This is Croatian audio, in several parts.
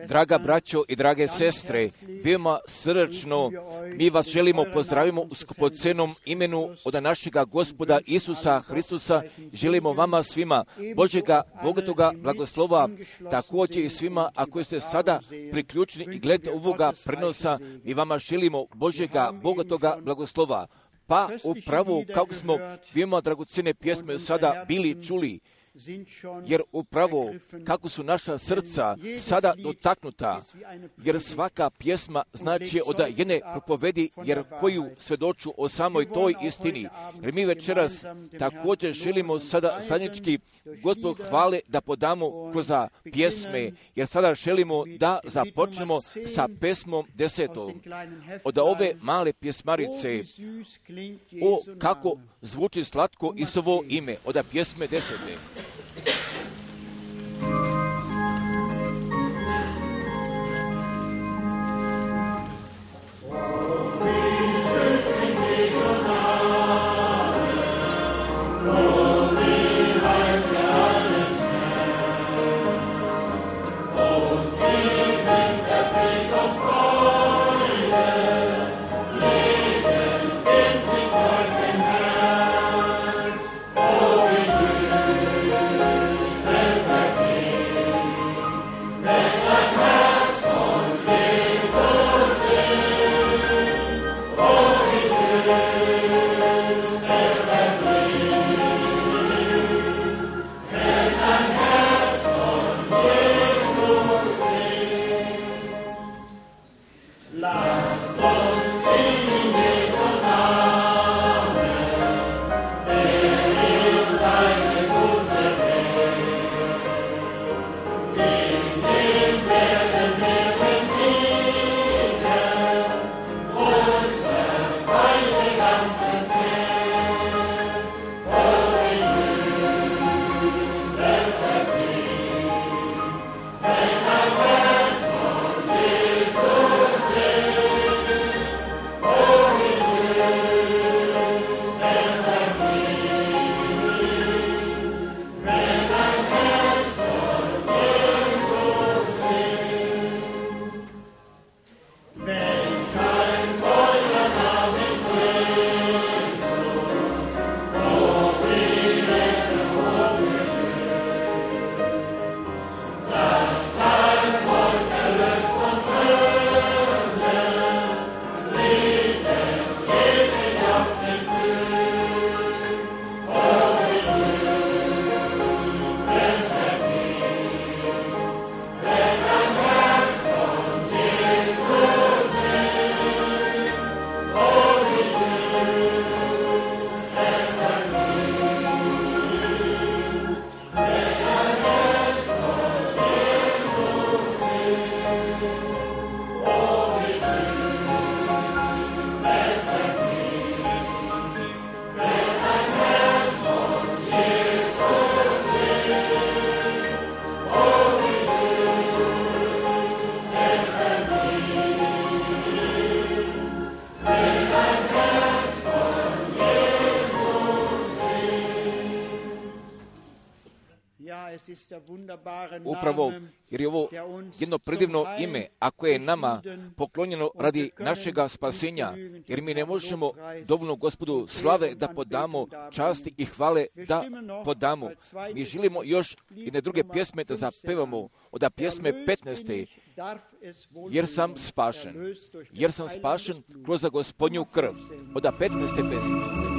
Draga braćo i drage sestre, veoma srdačno mi vas želimo pozdravimo u skupocenom imenu od našega Gospoda Isusa Hristusa. Želimo vama svima Božjega bogatoga blagoslova, također i svima ako ste sada priključeni i gledate ovoga prenosa, mi vama želimo Božjega bogatoga blagoslova. Pa upravo kako smo veoma dragocjene pjesme sada bili čuli, jer upravo kako su naša srca sada dotaknuta, jer svaka pjesma znači od jedne propovedi, jer koju svjedoču o samoj toj istini. Jer mi večeras također želimo sada zajednički Gospod hvale da podamo kroz pjesme, jer sada želimo da započnemo sa pesmom 10. Od ove male pjesmarice, o kako zvuči slatko Isusovo ime, od pjesme 10. Upravo, jer je ovo jedno predivno ime, ako je nama poklonjeno radi našega spasenja, jer mi ne možemo dovoljno Gospodu slave da podamo, časti i hvale da podamo. Mi želimo još jedne druge pjesme da zapevamo, od pjesme 15. Jer sam spašen kroz Gospodnju krv, od 15. pjesme.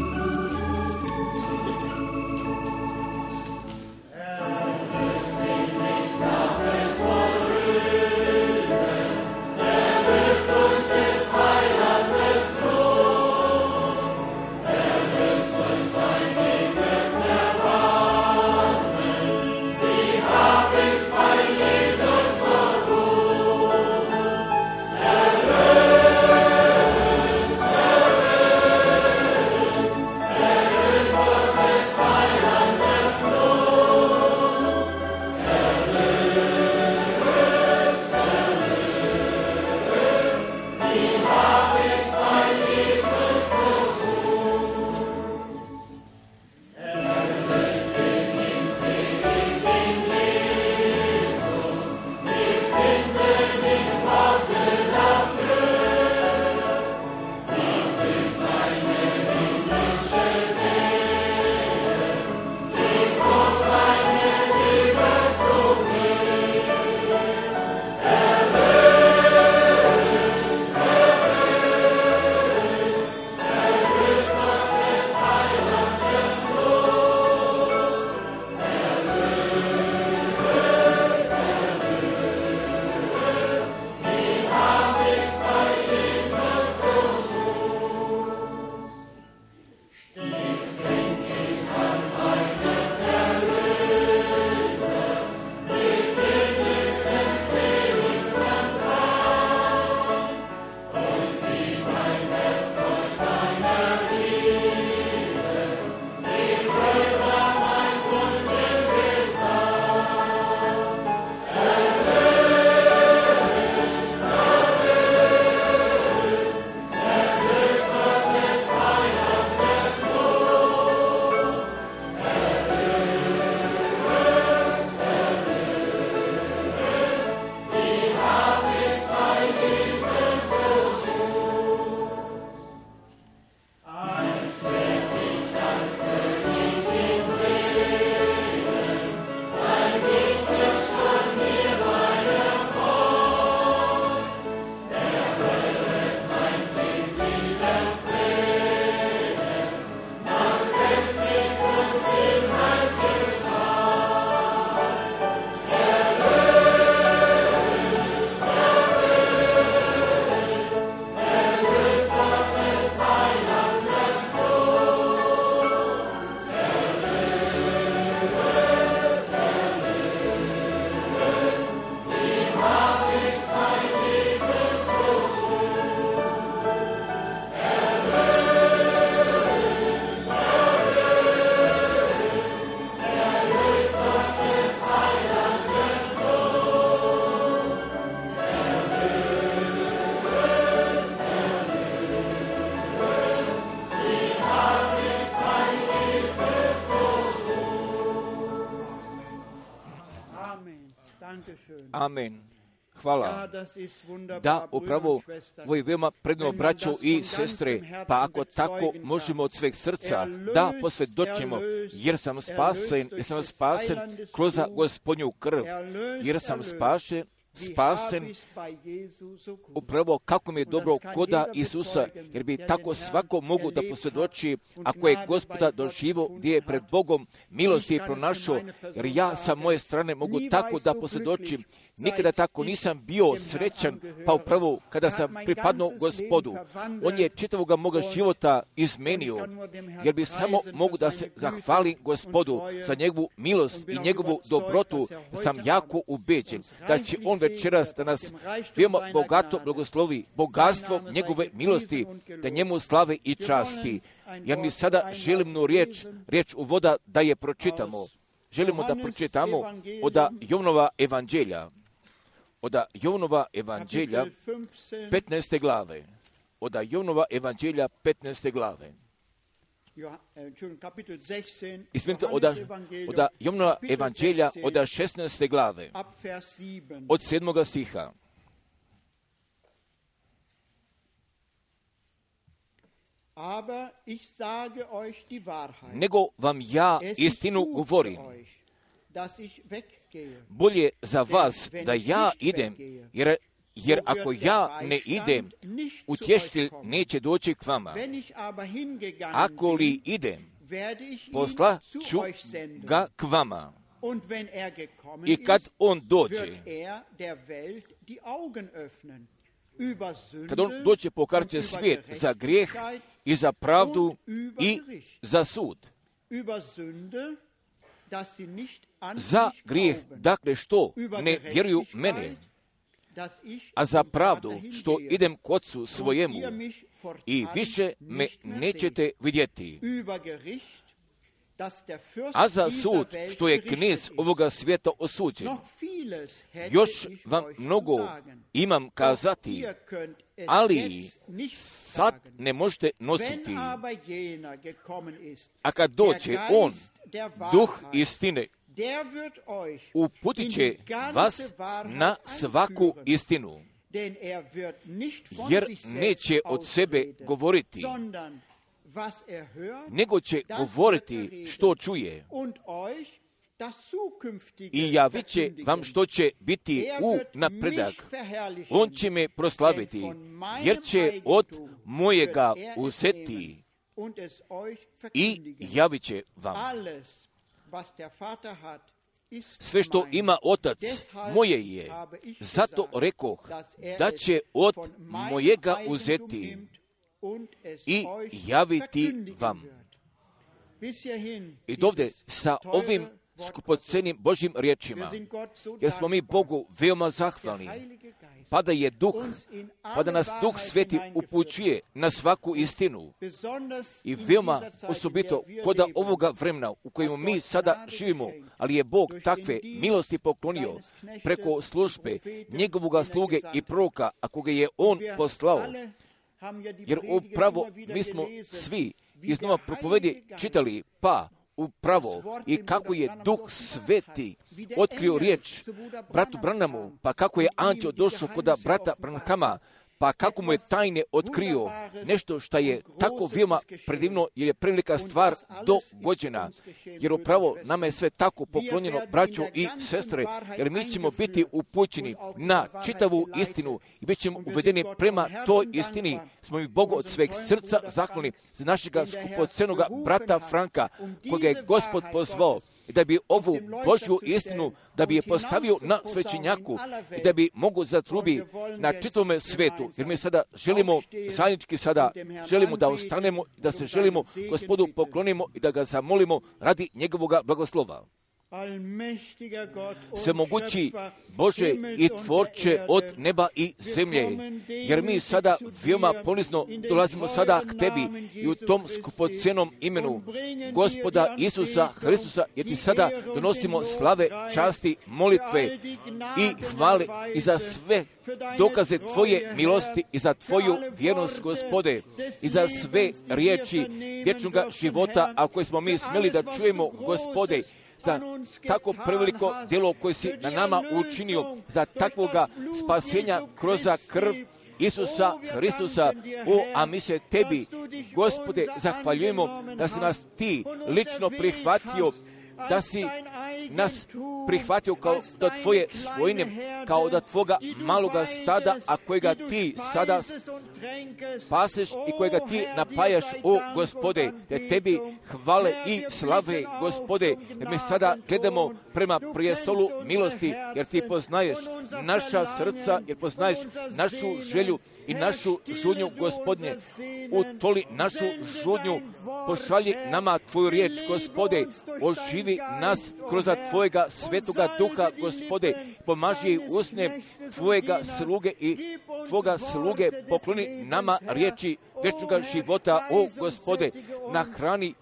Amen. Hvala. Da, upravo, ovo je veoma predno, braćo i sestre, pa ako tako možemo od sveg srca da posvjedočimo, jer sam spasen kroz Gospodnju krv, jer sam spasen upravo kako mi je dobro koda Isusa, jer bi tako svako mogu da posvjedoči ako je Gospoda doživo gdje je pred Bogom milosti je pronašao, jer ja sa moje strane mogu tako da posvjedočim. Nikada tako nisam bio srećan, pa upravo kada sam pripadnuo Gospodu, On je čitavoga moga života izmenio, jer bi samo mogu da se zahvalim Gospodu za njegovu milost i njegovu dobrotu. Sam jako ubeđen da će On večeras da nas veoma bogato blagoslovi bogatstvom njegove milosti, da njemu slave i časti. Jer mi sada želimo riječ uvoda da je pročitamo. Želimo da pročitamo od Jovnova evanđelja. Od Jovnova evanđelja 15. glave. Od Jovnova evanđelja 15. glave. Izvinite, od Jovnova evanđelja od 16. glave. Od 7. stiha. Nego vam ja istinu govorim. Bolje za vas da ja idem, jer ako ja ne idem, utješitelj neće doći k vama. Ako li idem, poslat ću ga k vama. I kad on dođe, kad on dođe, pokazat će svijet za grijeh i za pravdu i za sud. Za grijeh, dakle, što ne vjeruju mene, a za pravdu, što idem k Otcu svojemu i više me nećete vidjeti, a za sud, što je knez ovoga svijeta osuđen. Još vam mnogo imam kazati, ali sad ne možete nositi. A kad dođe on, duh istine, uputit će vas na svaku istinu, jer neće od sebe govoriti, nego će govoriti što čuje i javit će vam što će biti u napredak. On će me proslaviti, jer će od mojega uzeti i javit će vam. Sve što ima Otac moje je, zato rekoh da će od mojega uzeti i javiti vam. I dovde sa ovim skupocenim Božjim riječima, jer smo mi Bogu veoma zahvalni, pa da nas Duh Sveti upućuje na svaku istinu. I veoma osobito kod ovoga vremena u kojem mi sada živimo, ali je Bog takve milosti poklonio preko službe njegovoga sluge i proroka, a koga je On poslao. Jer upravo mi smo svi iznova propovedi čitali, pa upravo i kako je Duh Sveti otkrio riječ bratu Branhamu, pa kako je anđeo došao kod brata Branhama, pa kako mu je tajne otkrio nešto što je tako veoma predivno, jer je prevelika stvar dogođena. Jer upravo nama je sve tako poklonjeno, braćo i sestre, jer mi ćemo biti upućeni na čitavu istinu i bit ćemo uvedeni prema toj istini. Smo mi Bogu od sveg srca zahvalni za našega skupocenoga brata Franka, koga je Gospod pozvao da bi ovu Božju istinu, da bi je postavio na svećenjaku i da bi mogu zatrubi na čitavome svetu. Jer mi sada želimo, zajednički sada želimo da ostanemo, da se želimo Gospodu poklonimo i da ga zamolimo radi njegovoga blagoslova. Svemogući Bože i Tvorče od neba i zemlje, jer mi sada veoma ponizno dolazimo sada k Tebi i u tom skupocenom imenu Gospoda Isusa Hristusa, jer Ti sada donosimo slave, časti, molitve i hvale i za sve dokaze Tvoje milosti i za Tvoju vjernost, Gospode, i za sve riječi vječnoga života, a koje smo mi smjeli da čujemo, Gospode, za tako preveliko djelo koje si na nama učinio, za takvoga spasenja kroz krv Isusa Hristusa. A mi se tebi, Gospode, zahvaljujemo da si nas ti lično prihvatio, da si nas prihvatio kao da tvoje svojine, kao da tvoga maloga stada, a kojega ti sada paseš i kojega ti napajaš, o Gospode, te tebi hvale i slave, Gospode, jer mi sada gledamo prema prijestolu milosti, jer ti poznaješ naša srca, jer poznaješ našu želju i našu žudnju, Gospodnje. Utoli našu žudnju, pošalji nama tvoju riječ, Gospode, oživi nas kroz tvojega svetoga duha, Gospode, pomaži usne tvojega sluge i tvoga sluge, pokloni nama riječi vječnoga života, o Gospode, nahrani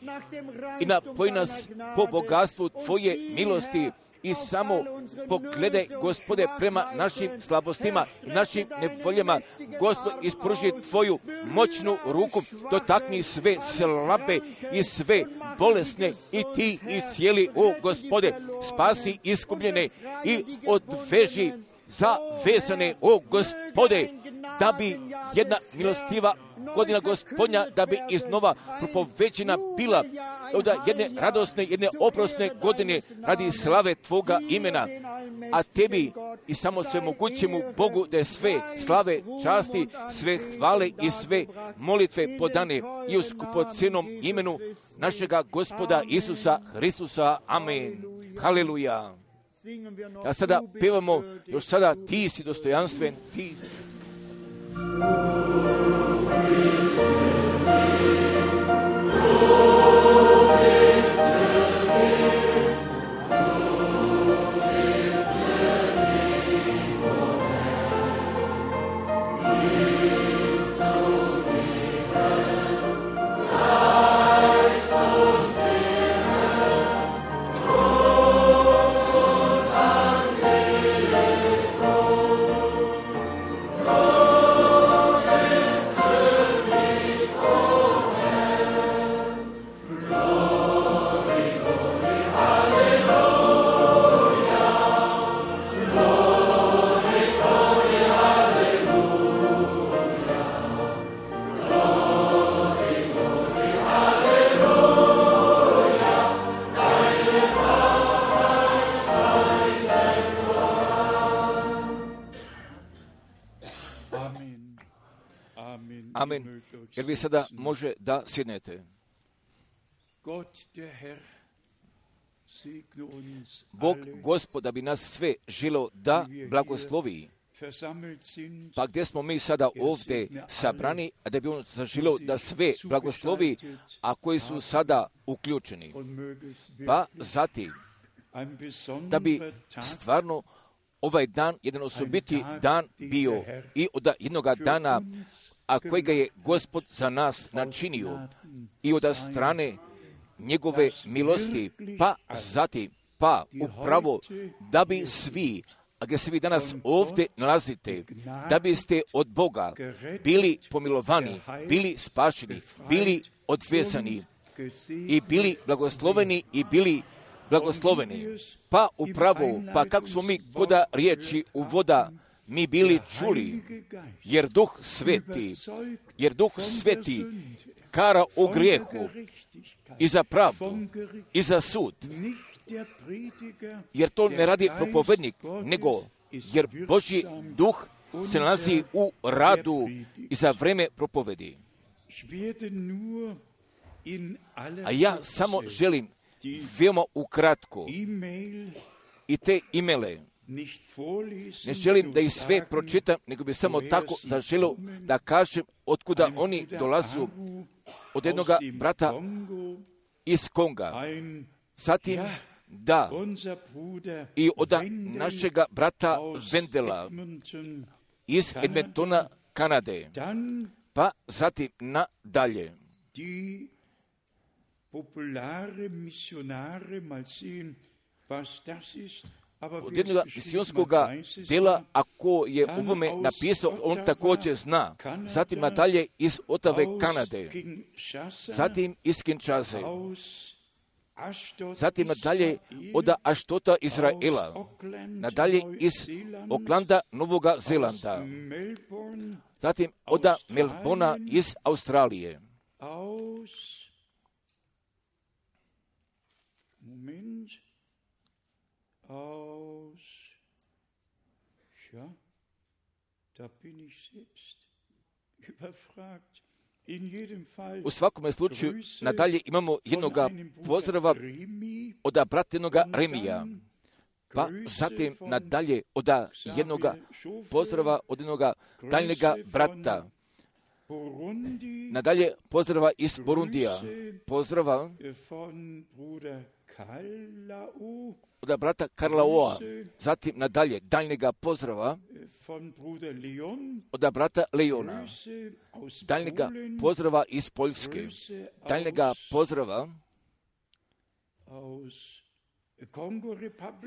i napoj nas po bogatstvu tvoje milosti. I samo pogledaj, Gospode, prema našim slabostima i našim nevoljama. Gospod, ispruži tvoju moćnu ruku, dotakni sve slabe i sve bolesne i ti iscijeli, o Gospode, spasi iskupljene i odveži zavezane, o Gospode, da bi jedna milostiva godina Gospodnja, da bi iznova propovećena bila od jedne radosne, jedne oprosne godine radi slave tvoga imena. A tebi i samo svemogućemu Bogu da je sve slave, časti, sve hvale i sve molitve podane i u skupocenom imenu našega Gospoda Isusa Hristusa. Amen. Haleluja. A sada pevamo, još sada ti si dostojanstven, ti si. Amen. Jer vi sada može da sjednete. Bog, Gospod, bi nas sve želio da blagoslovi. Pa gdje smo mi sada ovdje sabrani, a da bi on zaželio da sve blagoslovi, a koji su sada uključeni. Pa zatim, da bi stvarno ovaj dan, jedan osobiti dan bio i od jednoga dana, a kojega je Gospod za nas načinio i od strane njegove milosti, pa zatim, pa upravo da bi svi, a gdje se vi danas ovdje nalazite, da biste od Boga bili pomilovani, bili spašeni, bili odvezani i bili blagosloveni i bili blagosloveni. Pa upravo, pa kako smo mi koda riječi u voda mi bili čuli, jer Duh Sveti kara o grijehu i za pravdu i za sud, jer to ne radi propovednik, nego jer Božji Duh se nalazi u radu i za vreme propovedi. A ja samo želim veoma ukratko i te imele, ne želim da ih sve pročitam, nego bi samo tako zaželio da kažem otkuda oni dolazu, od jednog brata iz Konga, zatim da i od našega brata Vendela iz Edmontona, Kanade, pa zatim nadalje. Od jednog misionskog dela, ako je u ovome napisao, on također zna. Zatim nadalje iz Otave, Kanade. Zatim iz Kinshase. zatim nadalje od Aštota Izraela, nadalje iz Oklanda Novoga Zelanda, zatim od Melbona iz Australije. U svakome slučaju nadalje imamo jednoga pozdrava od brata jednoga Remija, pa zatim nadalje od jednoga pozdrava od jednoga daljnjega brata, nadalje pozdrava iz Burundija, pozdrava od brata Karlaoa, zatim nadalje daljnjega pozdrava od brata Leona, daljnjega pozdrava iz Poljske, daljnjega pozdrava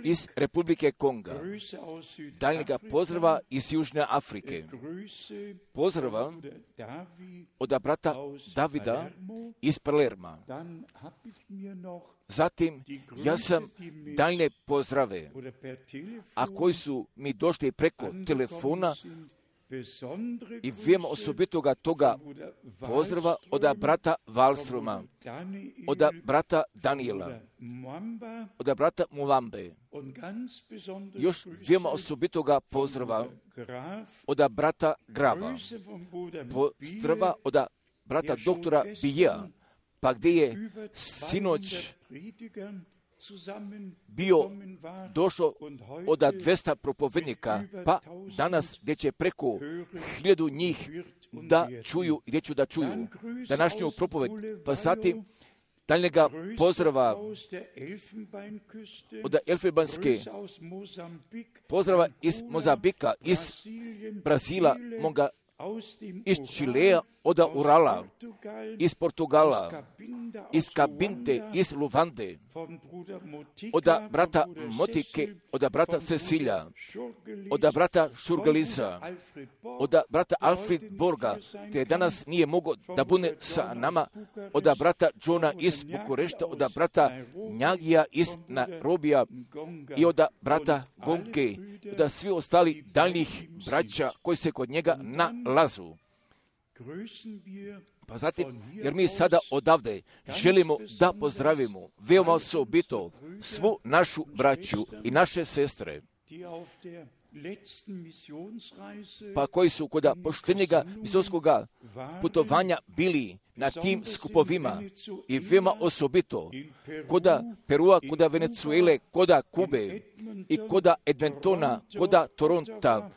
iz Republike Konga, daljnjega pozdrava iz Južne Afrike, pozdrava od brata Davida iz Palerma. Zatim, ja sam daljne pozdrave, a koji su mi došli preko telefona i vijemo osobitoga toga pozdrava od brata Wallstroma, od brata Daniela, od brata Muambe. Još vijemo osobitoga pozdrava od brata Grava, pozdrava od brata doktora Bija, pa gdje je sinoć bio došao od 200 propovednika, pa danas gdje će preko 1000 njih da čuju, gdje ću da čuju današnju propoved, pa zatim daljnjega pozdrava od Elfenbanske, pozdrava iz Mozambika, iz Brazila, iz Čilea, od Urala, iz Portugala, iz Kabinte, iz Luvande, od brata Motike, od brata Cecilija, od brata Šurgalisa, od brata Alfred Borga, te danas nije mogao da bude sa nama, od brata Johna iz Bukurešta, od brata Njagija iz Nairobija i od brata Gonke, od svi ostali daljnjih braća koji se kod njega nalazu. Pa zatim, jer mi sada odavde želimo da pozdravimo veoma osobito svu našu braću i naše sestre, pa koji su kod poštenjega misijskog putovanja bili na tim skupovima i veoma osobito kod Perua, kod Venezuele, kod Kube i kod Edmontona, kod Toronta,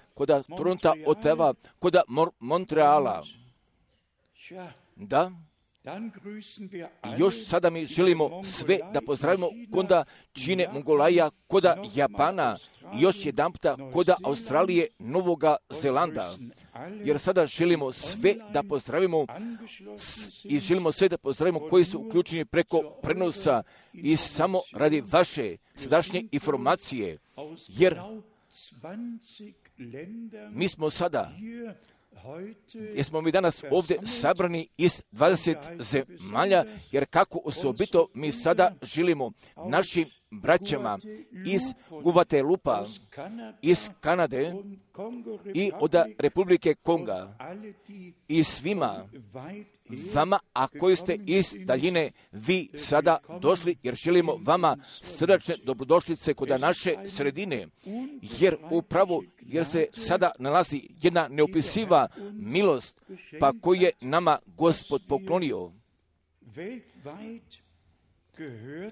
Ottawa, kod Montreala. Da, i još sada mi želimo sve da pozdravimo koda Čine, Mongolaja, koda Japana i još jedanputa koda Australije, Novoga Zelanda. Jer sada želimo sve da pozdravimo i želimo sve da pozdravimo koji su uključeni preko prenosa i samo radi vaše sadašnje informacije. Jer mi smo sada, jesmo mi danas ovdje sabrani iz 20 zemalja, jer kako osobito mi sada želimo našim braćama iz Guatelupa, iz Kanade i od Republike Konga i svima vama, a koji ste iz daljine vi sada došli, jer želimo vama srdačne dobrodošlice kod naše sredine, jer se sada nalazi jedna neopisiva milost, pa koju je nama Gospod poklonio,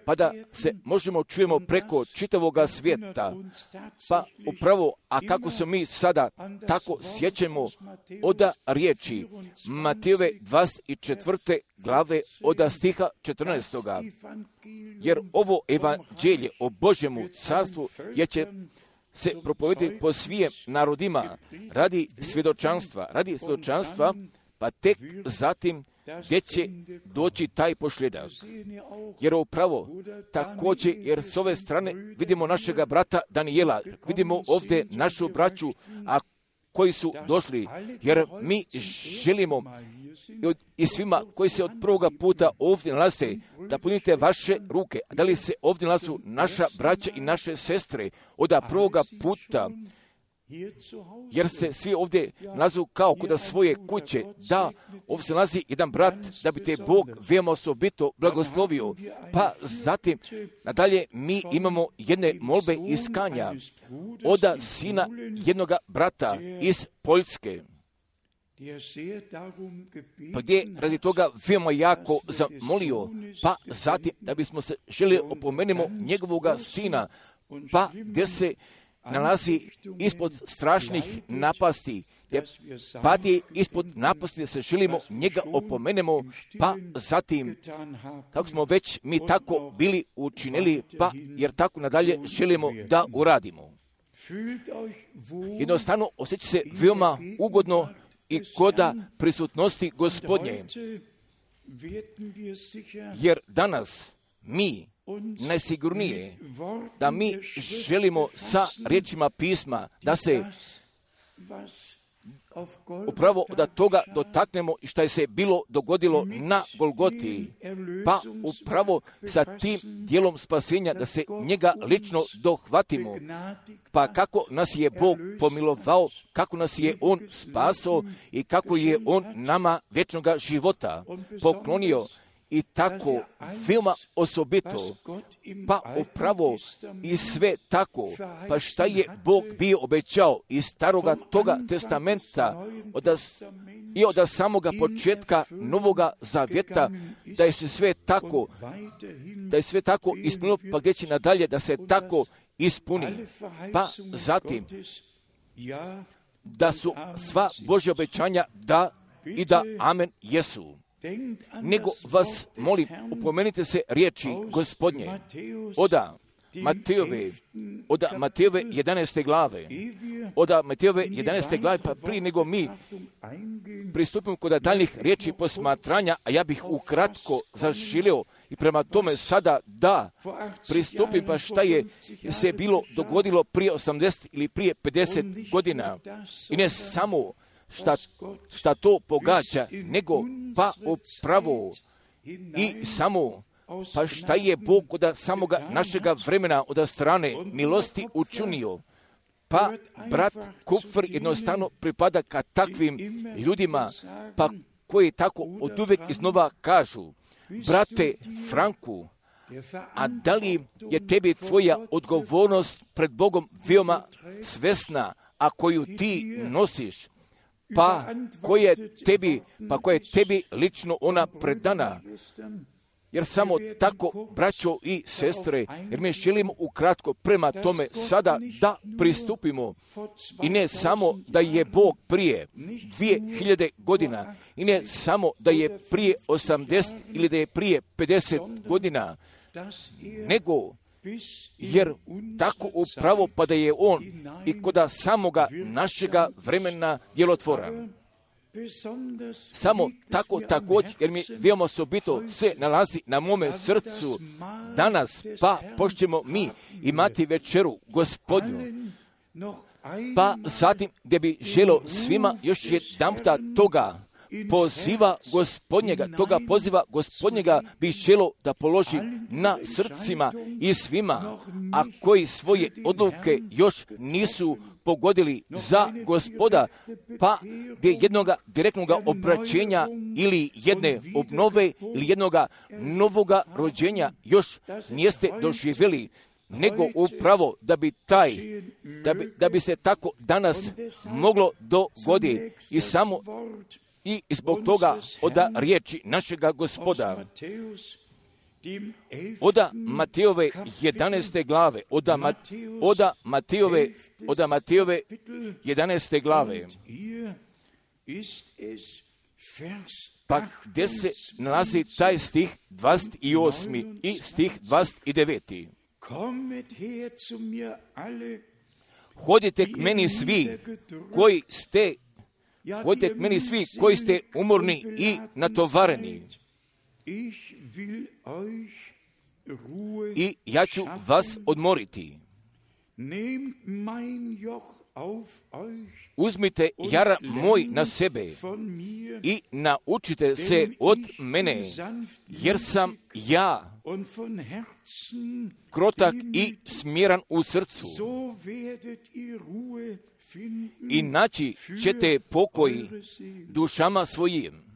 pa da se možemo čujemo preko čitavoga svijeta. Pa upravo, a kako se mi sada tako sjećamo od riječi Matejove 24. glave od stiha 14. Jer ovo evanđelje o Božjemu carstvu je će se propovedati po svim narodima radi svjedočanstva, pa tek zatim gdje će doći taj posljedak. Jer upravo također, jer s ove strane vidimo našega brata Daniela, vidimo ovdje našu braću, a koji su došli, jer mi želimo i svima koji se od prvoga puta ovdje nalaze, da punite vaše ruke. Da li se ovdje nalazu naša braća i naše sestre od prvoga puta, jer se svi ovdje nalazu kao kod svoje kuće, da ovdje se nalazi jedan brat, da bi te Bog veoma osobito blagoslovio. Pa zatim, nadalje, mi imamo jedne molbe iskanja od sina jednoga brata iz Poljske, pa gdje radi toga veoma jako zamolio, pa zatim da bismo se želi opomenemo njegovoga sina, pa gdje se nalazi ispod strašnih napasti, gdje pati ispod napasti, da se želimo njega opomenemo, pa zatim, kako smo već mi tako bili učinili, pa jer tako nadalje želimo da uradimo. Jednostavno osjeća se veoma ugodno i koda prisutnosti Gospodnje, jer danas mi najsigurnije da mi želimo sa riječima pisma da se upravo od toga dotaknemo i što je se bilo dogodilo na Golgoti, pa upravo sa tim dijelom spasenja da se njega lično dohvatimo, pa kako nas je Bog pomilovao, kako nas je On spasao i kako je On nama vječnoga života poklonio. I tako veoma osobito, pa upravo i sve tako, pa šta je Bog bio obećao iz staroga toga testamenta i od samoga početka Novoga Zavjeta, da je se sve tako ispunilo, pa gdje će nadalje da se tako ispuni. Pa zatim, da su sva Božja obećanja da i da amen jesu. Nego vas molim, upomenite se riječi Gospodnje od Matejove 11. glave. Od Matejove 11. glave, pa prije nego mi pristupimo kod daljnjih riječi posmatranja, a ja bih ukratko zaželio i prema tome sada da pristupim, pa šta je se bilo dogodilo prije 80 ili prije 50 godina. I ne samo šta to pogađa, nego pa upravo i samo pa šta je Bog od samoga našega vremena od strane milosti učinio. Pa brat Kupfer jednostavno pripada ka takvim ljudima, pa koji tako od uvijek iznova kažu: brate Franku, a da li je tebi tvoja odgovornost pred Bogom veoma svesna, a koju ti nosiš? Pa koje tebi lično ona predana. Jer samo tako, braćo i sestre, jer mi želimo ukratko prema tome sada da pristupimo. I ne samo da je Bog prije 2000 godina, i ne samo da je prije 80 ili da je prije 50 godina, nego jer tako upravo pa da je On i kod samoga našega vremena djelotvoran. Samo tako također, jer mi veoma osobito se nalazi na mome srcu danas, pa pošćemo mi imati večeru Gospodnju. Pa zatim gdje bi želio svima još jedanputa toga poziva Gospodnjega bi želio da položi na srcima i svima, a koji svoje odluke još nisu pogodili za Gospoda, pa gdje jednoga direktnoga obraćenja ili jedne obnove ili jednoga novoga rođenja još nijeste doživjeli, nego upravo da bi se tako danas moglo dogoditi i samo i zbog toga od riječi našega Gospoda. Od Matejove 11. glave, od Matejove 11. glave, pa gdje se nalazi taj stih 28. i stih 29. Hodite k meni svi koji ste umorni i natovareni, i ja ću vas odmoriti. uzmite jaran moj na sebe i naučite se od mene, jer sam ja krotak i smjeran u srcu. I naći ćete pokoj dušama svojim.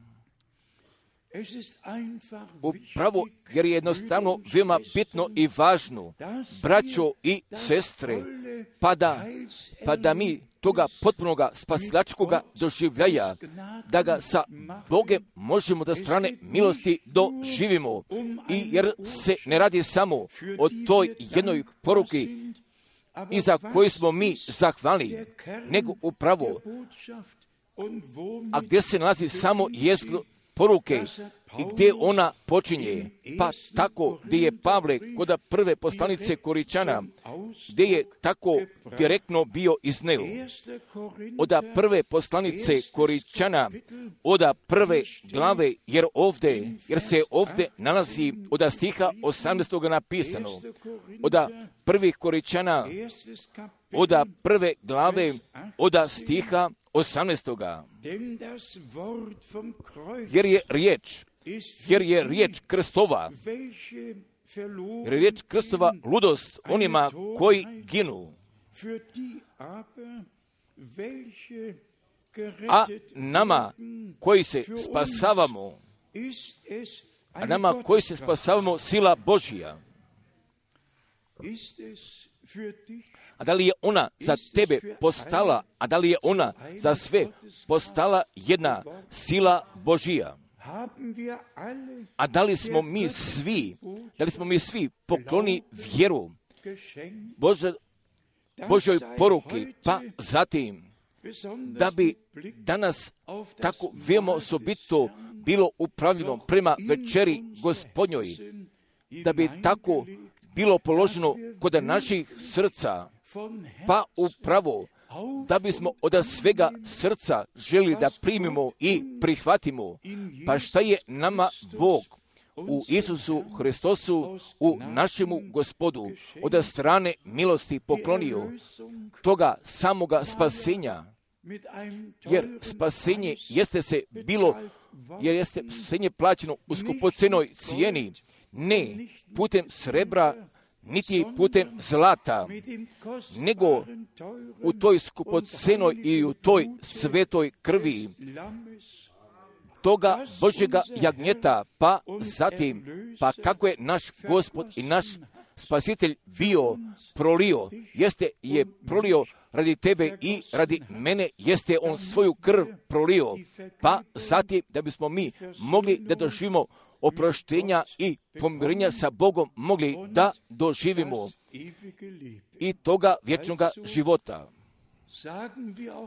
Upravo jer je jednostavno veoma bitno i važno, braćo i sestre, pa da mi toga potpunoga spasilačkoga doživljaja, da ga sa Bogem možemo da strane milosti doživimo. I jer se ne radi samo o toj jednoj poruki iza koju smo mi zahvalni, nego upravo, a gdje se nalazi samo jezgro poruke i gdje ona počinje, pa tako gdje je Pavle kod prve poslanice Koričana, gdje je tako direktno bio izneo. Od prve poslanice Koričana, od prve glave, jer se ovdje nalazi od stiha 18. napisano. Od prvih Koričana, od prve glave, od stiha 18. Jer je riječ krstova, ludost onima koji ginu, a nama koji se spasavamo, sila Božija. A da li je ona za tebe postala, a da li je ona za sve postala jedna sila Božija? A da li smo mi svi pokloni vjeru Božoj poruki, pa zatim da bi danas tako veoma osobito bilo upravljeno prema večeri Gospodnjoj, da bi tako bilo položeno kod naših srca, pa upravo da bismo od svega srca želi da primimo i prihvatimo, pa šta je nama Bog u Isusu Hristosu, u našemu Gospodu, od strane milosti poklonio, toga samoga spasenja, jer spasenje jeste spasenje plaćeno u skupocenoj cijeni, ne putem srebra, niti putem zlata, nego u toj skupocenoj i u toj svetoj krvi toga Božjega jagnjeta, pa zatim, pa kako je naš Gospod i naš Spasitelj bio prolio, je prolio radi tebe i radi mene, jeste on svoju krv prolio, pa zatim da bismo mi mogli da doživimo oproštenja i pomirenja sa Bogom mogli da doživimo i toga vječnoga života.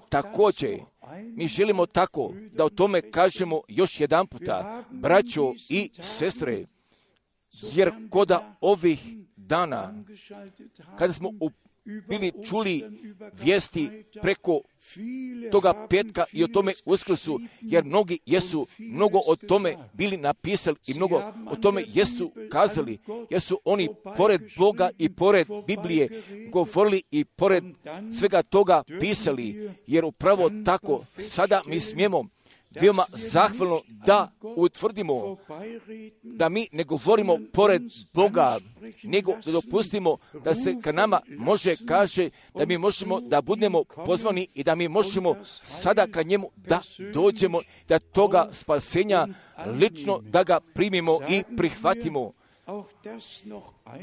Također, mi želimo tako da o tome kažemo još jedan puta, braćo i sestre, jer koda ovih dana, kada smo bili čuli vijesti preko toga petka i o tome Uskrsu, jer mnogi jesu mnogo o tome bili napisali i mnogo o tome jesu kazali, jer su oni pored Boga i pored Biblije govorili i pored svega toga pisali, jer upravo tako sada mi smijemo veoma zahvalno da utvrdimo da mi ne govorimo pored Boga, nego da dopustimo da se ka nama može kaže da mi možemo da budemo pozvani i da mi možemo sada ka njemu da dođemo, da toga spasenja lično da ga primimo i prihvatimo.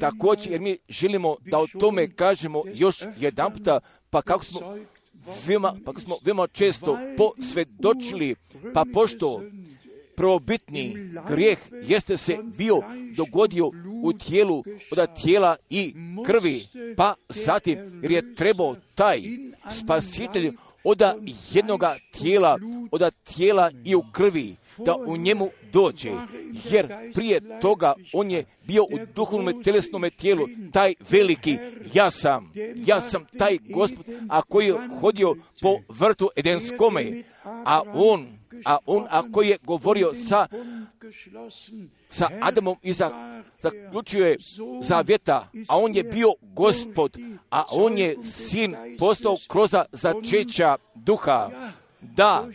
Također, jer mi želimo da o tome kažemo još jedan puta, pa kako smo veoma često posvjedočili, pa pošto prvobitni grijeh jeste se bio dogodio u tijelu od tijela i krvi, pa zatim jer je trebao taj spasitelj od jednoga tijela, od tijela i u krvi, da u njemu dođe, jer prije toga on je bio u duhovnom telesnom tijelu, taj veliki ja sam taj Gospod, a koji je hodio po vrtu Edenskome, a on koji je govorio sa sa Adamom i zaključio je zavjeta, a on je bio Gospod, a on je sin postao kroz začeća duha. Da,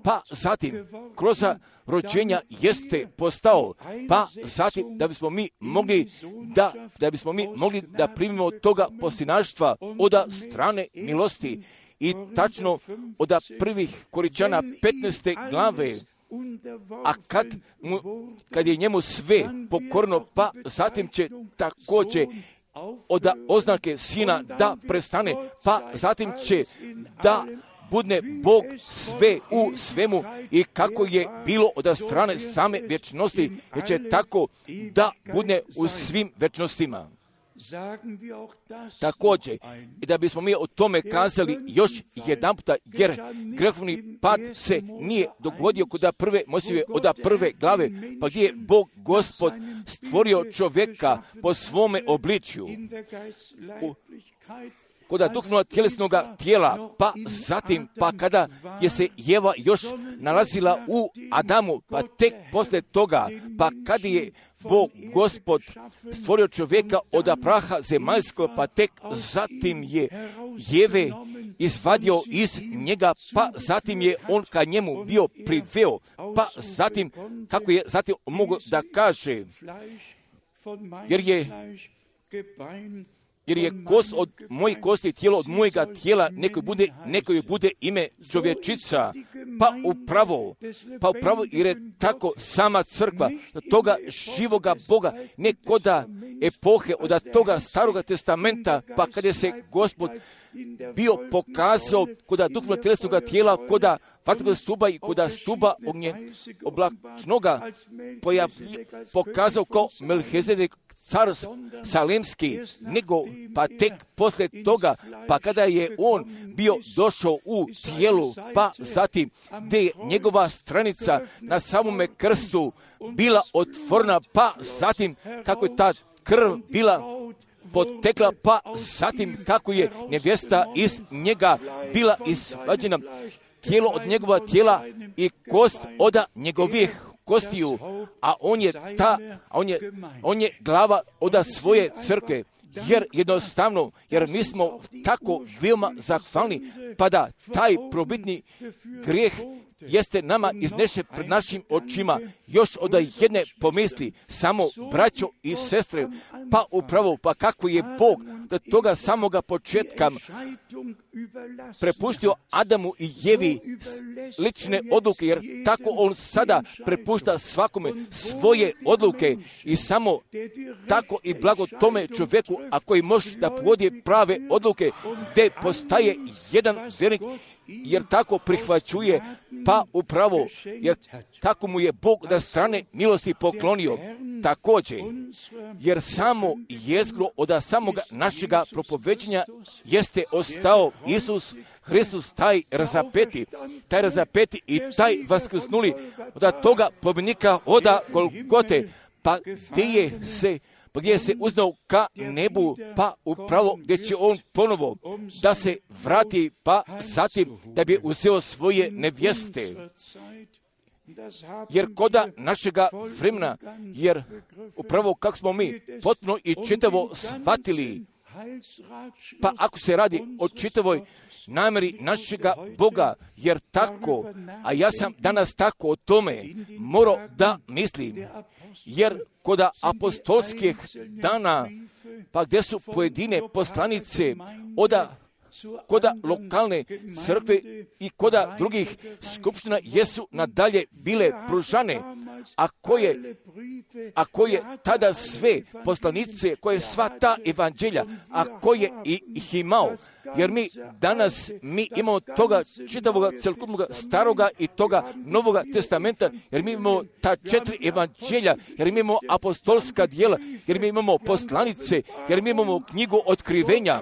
pa zatim kroz rođenja jeste postao, pa zatim da bismo mi mogli da primimo toga poslinaštva od strane milosti i tačno od prvih Koričana 15. glave. A kad je njemu sve pokorno, pa zatim će također od oznake sina da prestane, pa zatim će da budne Bog sve u svemu i kako je bilo od strane same vječnosti, jer će tako da budne u svim vječnostima. Također, i da bismo mi o tome kazali još jedan puta, jer grehovni pad se nije dogodio kod prve Mojsijeve od prve glave, pa gdje je Bog Gospod stvorio čovjeka po svome obličju, kod duhovnog tjelesnog tijela, pa zatim, pa kada je se Jeva još nalazila u Adamu, pa tek poslije toga, pa kada je Bog Gospod stvorio čovjeka od praha zemaljskog, pa tek zatim je Jeve izvadio iz njega, pa zatim je on ka njemu bio priveo, pa zatim, kako je zatim mogu da kaže, jer je kost od mojih kosti, tijelo od mojega tijela, neko joj bude ime čovječica, pa upravo, jer je tako sama crkva toga živoga Boga, ne koda epohe od toga Staroga testamenta, pa kada je se Gospod bio pokazao koda duhovno tjelesnoga tijela, koda vatrenog stuba i koda stuba ognje oblačnoga, pokazao kao Melhizedek, car salemski, nego pa tek poslije toga, pa kada je on bio došao u tijelu, pa zatim gdje je njegova stranica na samome krstu bila otvorena, pa zatim kako je ta krv bila potekla, pa zatim kako je nevjesta iz njega bila izvađena, tijelo od njegova tijela i kost od njegovih kostiju, a on je glava od svoje crkve, jer jednostavno, jer mi smo tako veoma zahvalni, pa da taj probitni grijeh jeste nama iznešen pred našim očima, još od jedne pomisli, samo braćo i sestre, pa upravo, pa kako je Bog do toga samoga početka prepuštio Adamu i Jevi lične odluke, jer tako on sada prepušta svakome svoje odluke i samo tako i blago tome čovjeku, a koji može da povodi prave odluke, gdje postaje jedan vjernik, jer tako prihvaćuje, pa upravo, jer tako mu je Bog da strane milosti poklonio. Također, jer samo jezgro od samoga našega propoveđenja jeste ostao Isus Hristus, taj razapeti i taj vaskrsnuli od toga pobjednika od Golgote, pa gdje se uznao ka nebu, pa upravo gdje će on ponovo da se vrati, pa zatim da bi uzeo svoje nevjeste. Jer koda našega vremena, jer upravo kako smo mi potpuno i čitavo shvatili, pa ako se radi o čitavoj namjeri našega Boga, jer tako, a ja sam danas tako o tome morao da mislim, jer kod apostolskih dana, pa gdje su pojedine poslanice koda lokalne crkve i koda drugih skupština jesu nadalje bile pružane, a koje tada sve poslanice, koje sva ta evanđelja, a koje ih imao, jer mi danas imamo toga čitavoga celokupnog staroga i toga novoga testamenta, jer mi imamo ta 4 evanđelja, jer mi imamo apostolska djela, jer mi imamo poslanice, jer mi imamo knjigu otkrivenja,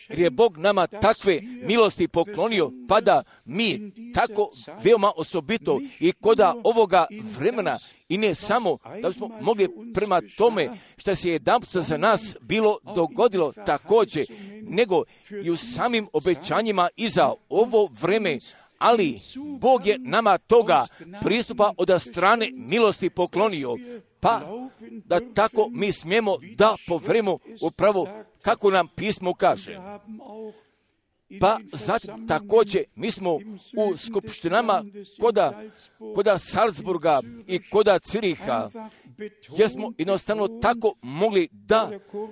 jer je Bog nama takve milosti poklonio, pa da mi tako veoma osobito i koda ovoga vremena, i ne samo da smo mogli prema tome što se jedanput za nas bilo dogodilo također, nego i u samim obećanjima i za ovo vreme, ali Bog je nama toga pristupa od strane milosti poklonio, pa da tako mi smijemo da povjerujemo upravo kako nam pismo kaže. Pa zatim također mi smo u skupštinama koda Salzburga i koda Ciriha, jer smo jednostavno tako mogli da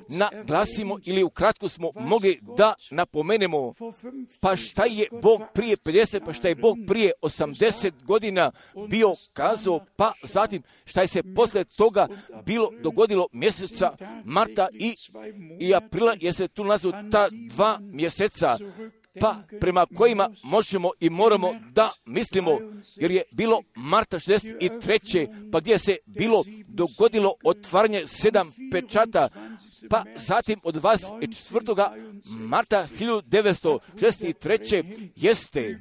naglasimo ili ukratko smo mogli da napomenemo pa šta je Bog prije 50, pa šta je Bog prije 80 godina bio kazao, pa zatim šta je se poslije toga bilo dogodilo mjeseca marta i aprila, jer se tu nalazu ta 2 mjeseca, pa prema kojima možemo i moramo da mislimo, jer je bilo marta 63. pa gdje se bilo dogodilo otvaranje 7 pečata, pa zatim od 24. marta 1963. jeste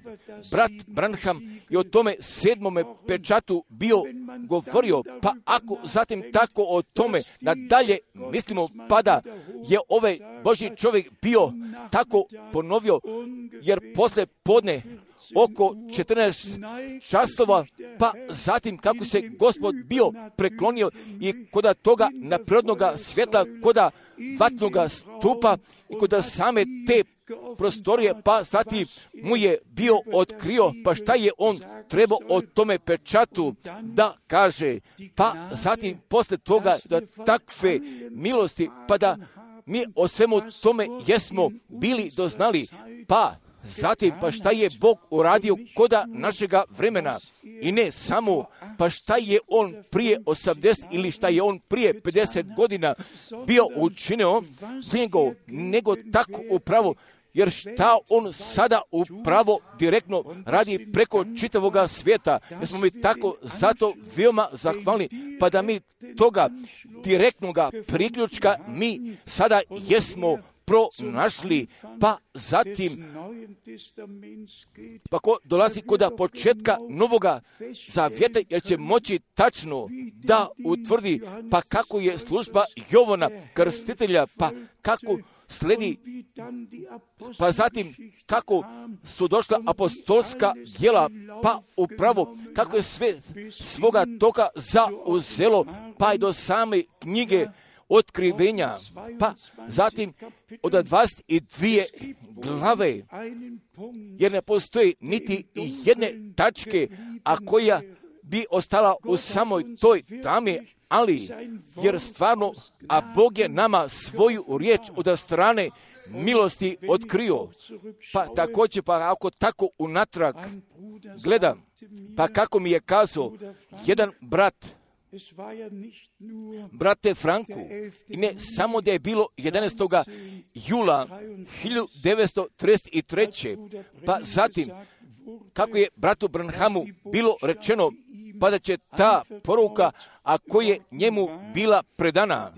brat Branham i o tome 7. pečatu bio govorio, pa ako zatim tako o tome nadalje mislimo, pa da je ovaj Božji čovjek bio tako ponovio, jer poslije podne oko 14 časova, pa zatim kako se Gospod bio preklonio i koda toga neprirodnoga svjetla, koda vatnoga stupa i koda same te prostorije, pa zatim mu je bio otkrio, pa šta je on trebao o tome pečatu da kaže, pa zatim posle toga da takve milosti, pa da mi o svemu tome jesmo bili doznali, pa zatim, pa šta je Bog uradio koda našega vremena i ne samo, pa šta je On prije 80 ili šta je On prije 50 godina bio učinio, nego tako upravo, jer šta On sada upravo direktno radi preko čitavoga svijeta, jer smo mi tako zato veoma zahvalni, pa da mi toga direktnoga priključka mi sada jesmo pronašli, pa zatim pa ko dolazi kod početka Novoga Zavjeta, jer će moći tačno da utvrdi pa kako je služba Jovana Krstitelja, pa kako sledi, pa zatim kako su došla apostolska djela, pa upravo kako je sve svoga toga zauzelo, pa i do same knjige otkrivenja, pa zatim od 22 glave, jer ne postoji niti jedne tačke, a koja bi ostala u samoj toj tami, ali jer stvarno, a Bog je nama svoju riječ od strane milosti otkrio, pa također, pa ako tako unatrag gledam, pa kako mi je kazao jedan brat, brate Franku, i ne samo da je bilo 11. jula 1933. pa zatim kako je bratu Branhamu bilo rečeno, pa da će ta poruka, a koja je njemu bila predana,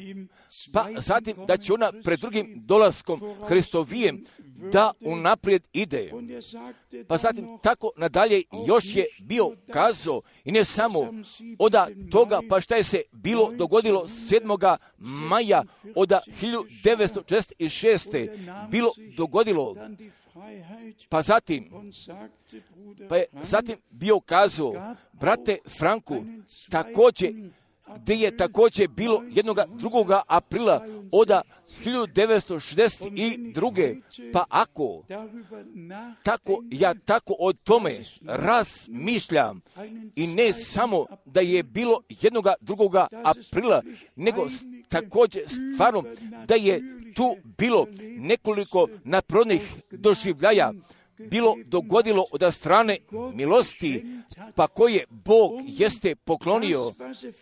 pa zatim da će ona pred drugim dolaskom Hristovijem da unaprijed ide. Pa zatim tako nadalje još je bio kazao, i ne samo od toga, pa šta je se bilo dogodilo 7. maja od 1946. bilo dogodilo, pa zatim je bio kazao, brate Franku, također, gdje je također bilo 2. aprila od 1962. Pa ako tako, ja tako o tome razmišljam, i ne samo da je bilo 2. aprila, nego također stvarno da je tu bilo nekoliko naprodnih doživljaja bilo dogodilo od strane milosti, pa koje Bog jeste poklonio,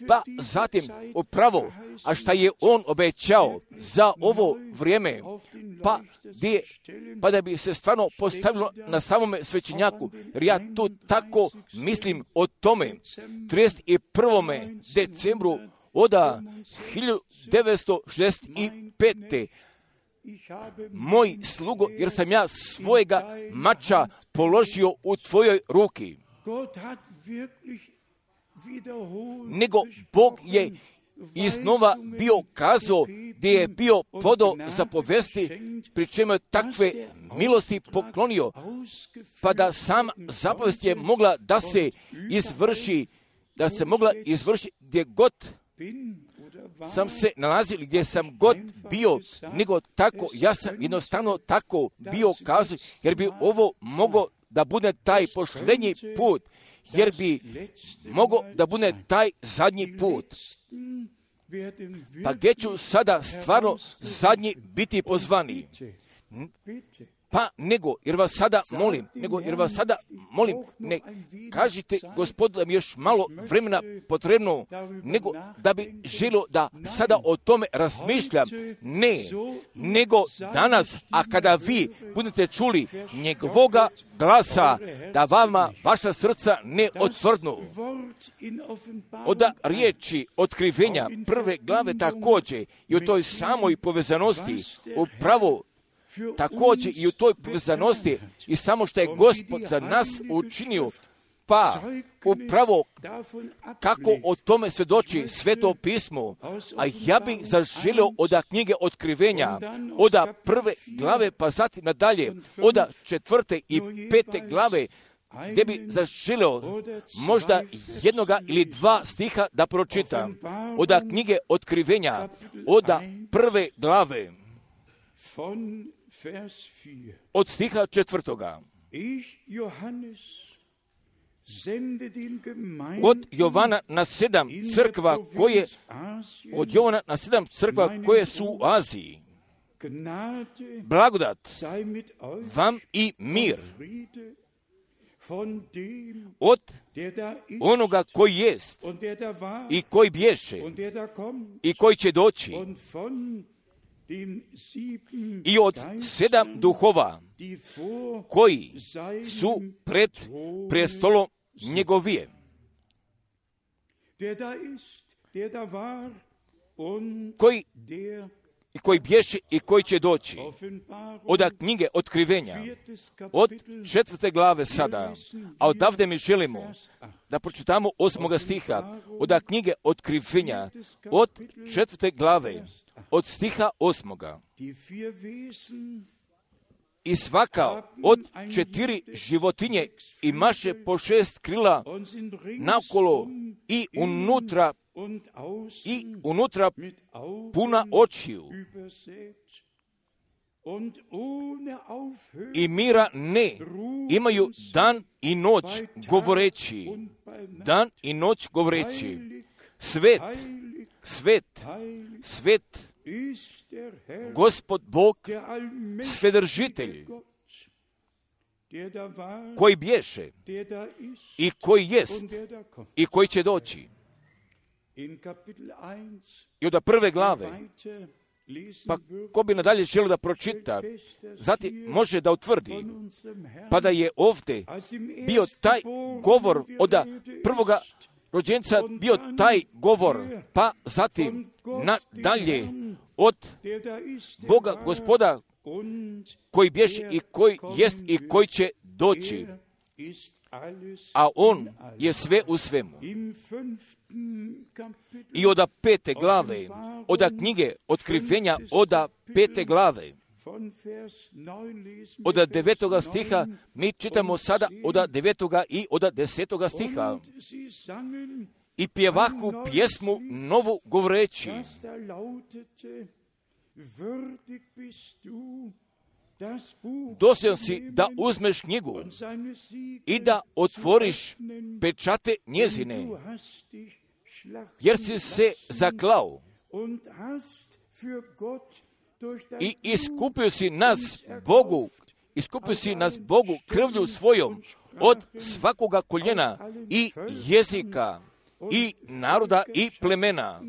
pa zatim upravo, a šta je On obećao za ovo vrijeme, pa da bi se stvarno postavilo na samome svećenjaku, jer ja tu tako mislim o tome, 31. decembru od 1965. Moj slugo, jer sam ja svojega mača položio u tvojoj ruki. Nego Bog je iznova bio kazao gdje je bio podao zapovesti, pri čemu je takve milosti poklonio, pa da sam zapovest je mogla da se izvrši, gdje god sam se nalazio, gdje sam god bio, nego tako, ja sam jednostavno tako bio kazao, jer bi ovo mogao da bude taj posljednji put, jer bi mogao da bude taj zadnji put. Pa gdje ću sada stvarno zadnji biti pozvani? Pa jer vas sada molim, ne kažite Gospodu da mi još malo vremena potrebno, nego da bi želio da sada o tome razmišljam. Ne, nego danas, a kada vi budete čuli njegovoga glasa, da vama vaša srca ne otvrdnu. Od riječi otkrivenja 1. glave također i u toj samoj povezanosti upravo također i u toj povezanosti i samo što je Gospod za nas učinio, pa upravo kako o tome svjedoči Sveto pismo, a ja bih zaželio od knjige otkrivenja, od 1. glave pa zatim nadalje, od 4. i 5. glave, gdje bi zaželio možda jednoga ili dva stiha da pročitam, od knjige otkrivenja, od 1. glave, od stiha 4. Od Jovana na 7 crkva koje su u Aziji. Blagodat vam i mir od onoga koji jest i koji bješe i koji će doći i od 7 duhova koji su pred prestolom njegovije, koji bješe i koji će doći. Od knjige otkrivenja, od 4. glave sada, a odavde mi želimo da pročitamo 8. stiha, od knjige otkrivenja, od 4. glave, od stiha 8. I svaka od 4 životinje imaše po 6 krila naokolo i unutra puna očiju. I mira ne imaju dan i noć govoreći, svet, svet, svet, Gospod Bog, Svedržitelj, koji bješe i koji jest i koji će doći. I od 1. glave, pa ko bi nadalje želio da pročita, zatim može da utvrdi, pa da je ovdje bio taj govor od prvoga rođenca, bio taj govor, pa zatim nadalje od Boga Gospoda koji bješe i koji jest i koji će doći, a on je sve u svemu. I od 5. glave, od knjige otkrivenja, od 5. glave, od 9. stiha, mi čitamo sada od 9. i od 10. stiha. I pjevahu pjesmu novu govoreći, dostojan si da uzmeš knjigu i da otvoriš pečate njezine, jer si se zaklao i iskupio si nas Bogu krvlju svojom od svakoga koljena i jezika i naroda i plemena.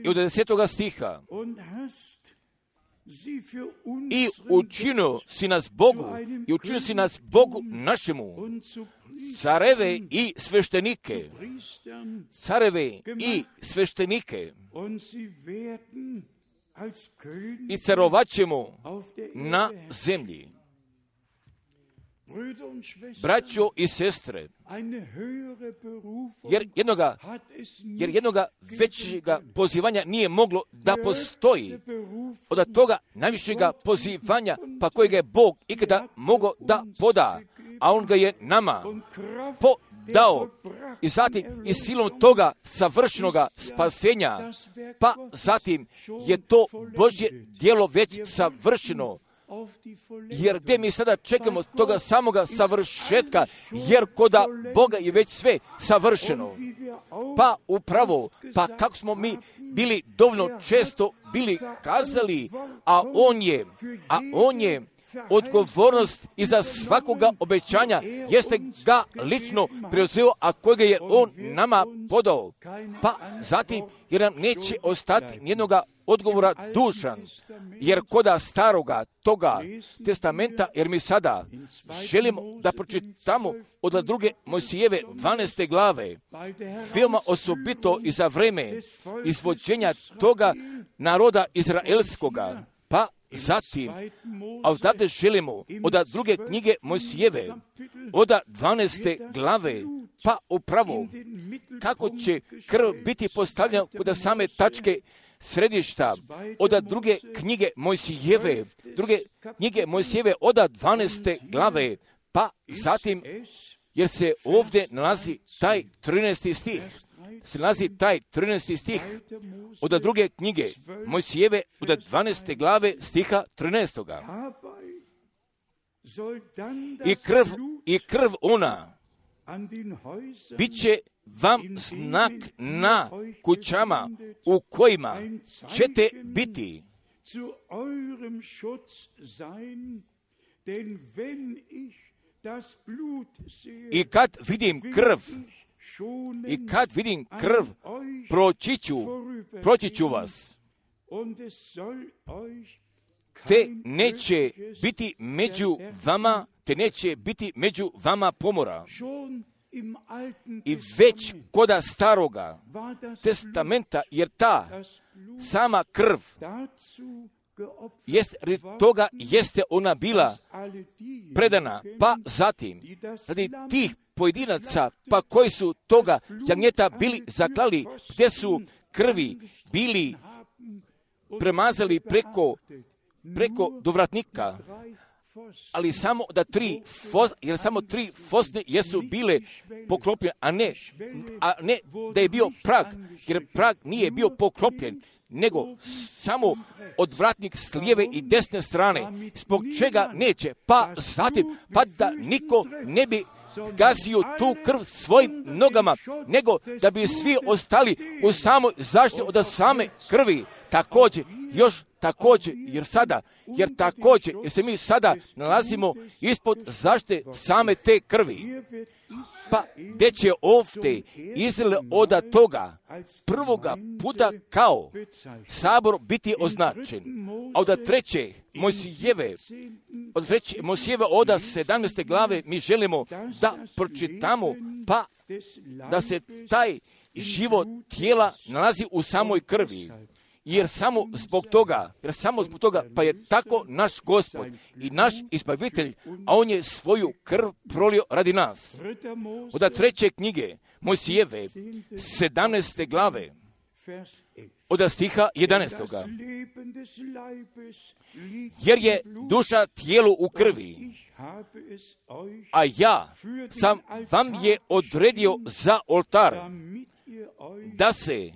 I od 10. stiha, i učinio si nas Bogu našemu, careve i sveštenike, i carovat ćemo na zemlji. braćo i sestre, jer jednoga većega pozivanja nije moglo da postoji od toga najvišega pozivanja pa kojega je Bog ikada mogao da poda, a On ga je nama podao i zatim i silom toga savršenoga spasenja, pa zatim je to Božje djelo već savršeno. Jer gdje mi sada čekamo toga samoga savršetka, jer koda Boga je već sve savršeno. Pa upravo, pa kako smo mi bili dovoljno često bili kazali, a on je odgovornost iza svakoga obećanja jeste ga lično preuzeo, a kojega je On nama podao. Pa zatim, jer nam neće ostati nijednoga odgovora dušan, jer koda staroga toga testamenta, jer mi sada želimo da pročitamo od druge Mojsijeve 12. glave, veoma osobito i za vreme izvođenja toga naroda izraelskoga, pa zatim, a odavde želimo od druge knjige Mojsijeve, od 12. glave, pa upravo kako će krv biti postavljena kod same tačke središta, od druge knjige Mojsijeve, od 12. glave, pa zatim, jer se ovdje nalazi taj 13. stih, od druge knjige Mojsijeve, od 12. glave stiha 13. I krv ona bit će vam znak na kućama u kojima ćete biti. I kad vidim krv, proći ću vas. Te neće biti među vama pomora. I već koda staroga testamenta, jer ta sama krv toga jeste ona bila predana, pa zatim radi tih pojedinaca, pa koji su toga jagnjeta bili zaklali, gdje su krvi bili premazali preko dovratnika, ali samo samo tri fosne jesu bile poklopljene, a ne da je bio prag, jer prag nije bio poklopljen, nego samo odvratnik s lijeve i desne strane, zbog čega neće, pa zatim, pa da niko ne bi gazio tu krv svojim nogama, nego da bi svi ostali u samoj zaštiti od same krvi. Također, jer se mi sada nalazimo ispod zaštite same te krvi. Pa gdje će ovdje Izrael od toga prvoga puta kao sabor biti označen. A od treće Mojsijeve od 17. glave mi želimo da pročitamo, pa da se taj život tijela nalazi u samoj krvi. Jer samo zbog toga, pa je tako naš Gospod i naš Izbavitelj, a On je svoju krv prolio radi nas. Od treće knjige Mojsijeve, 17. glave, od stiha 11. Jer je duša tijelu u krvi, a ja sam vam je odredio za oltar, da se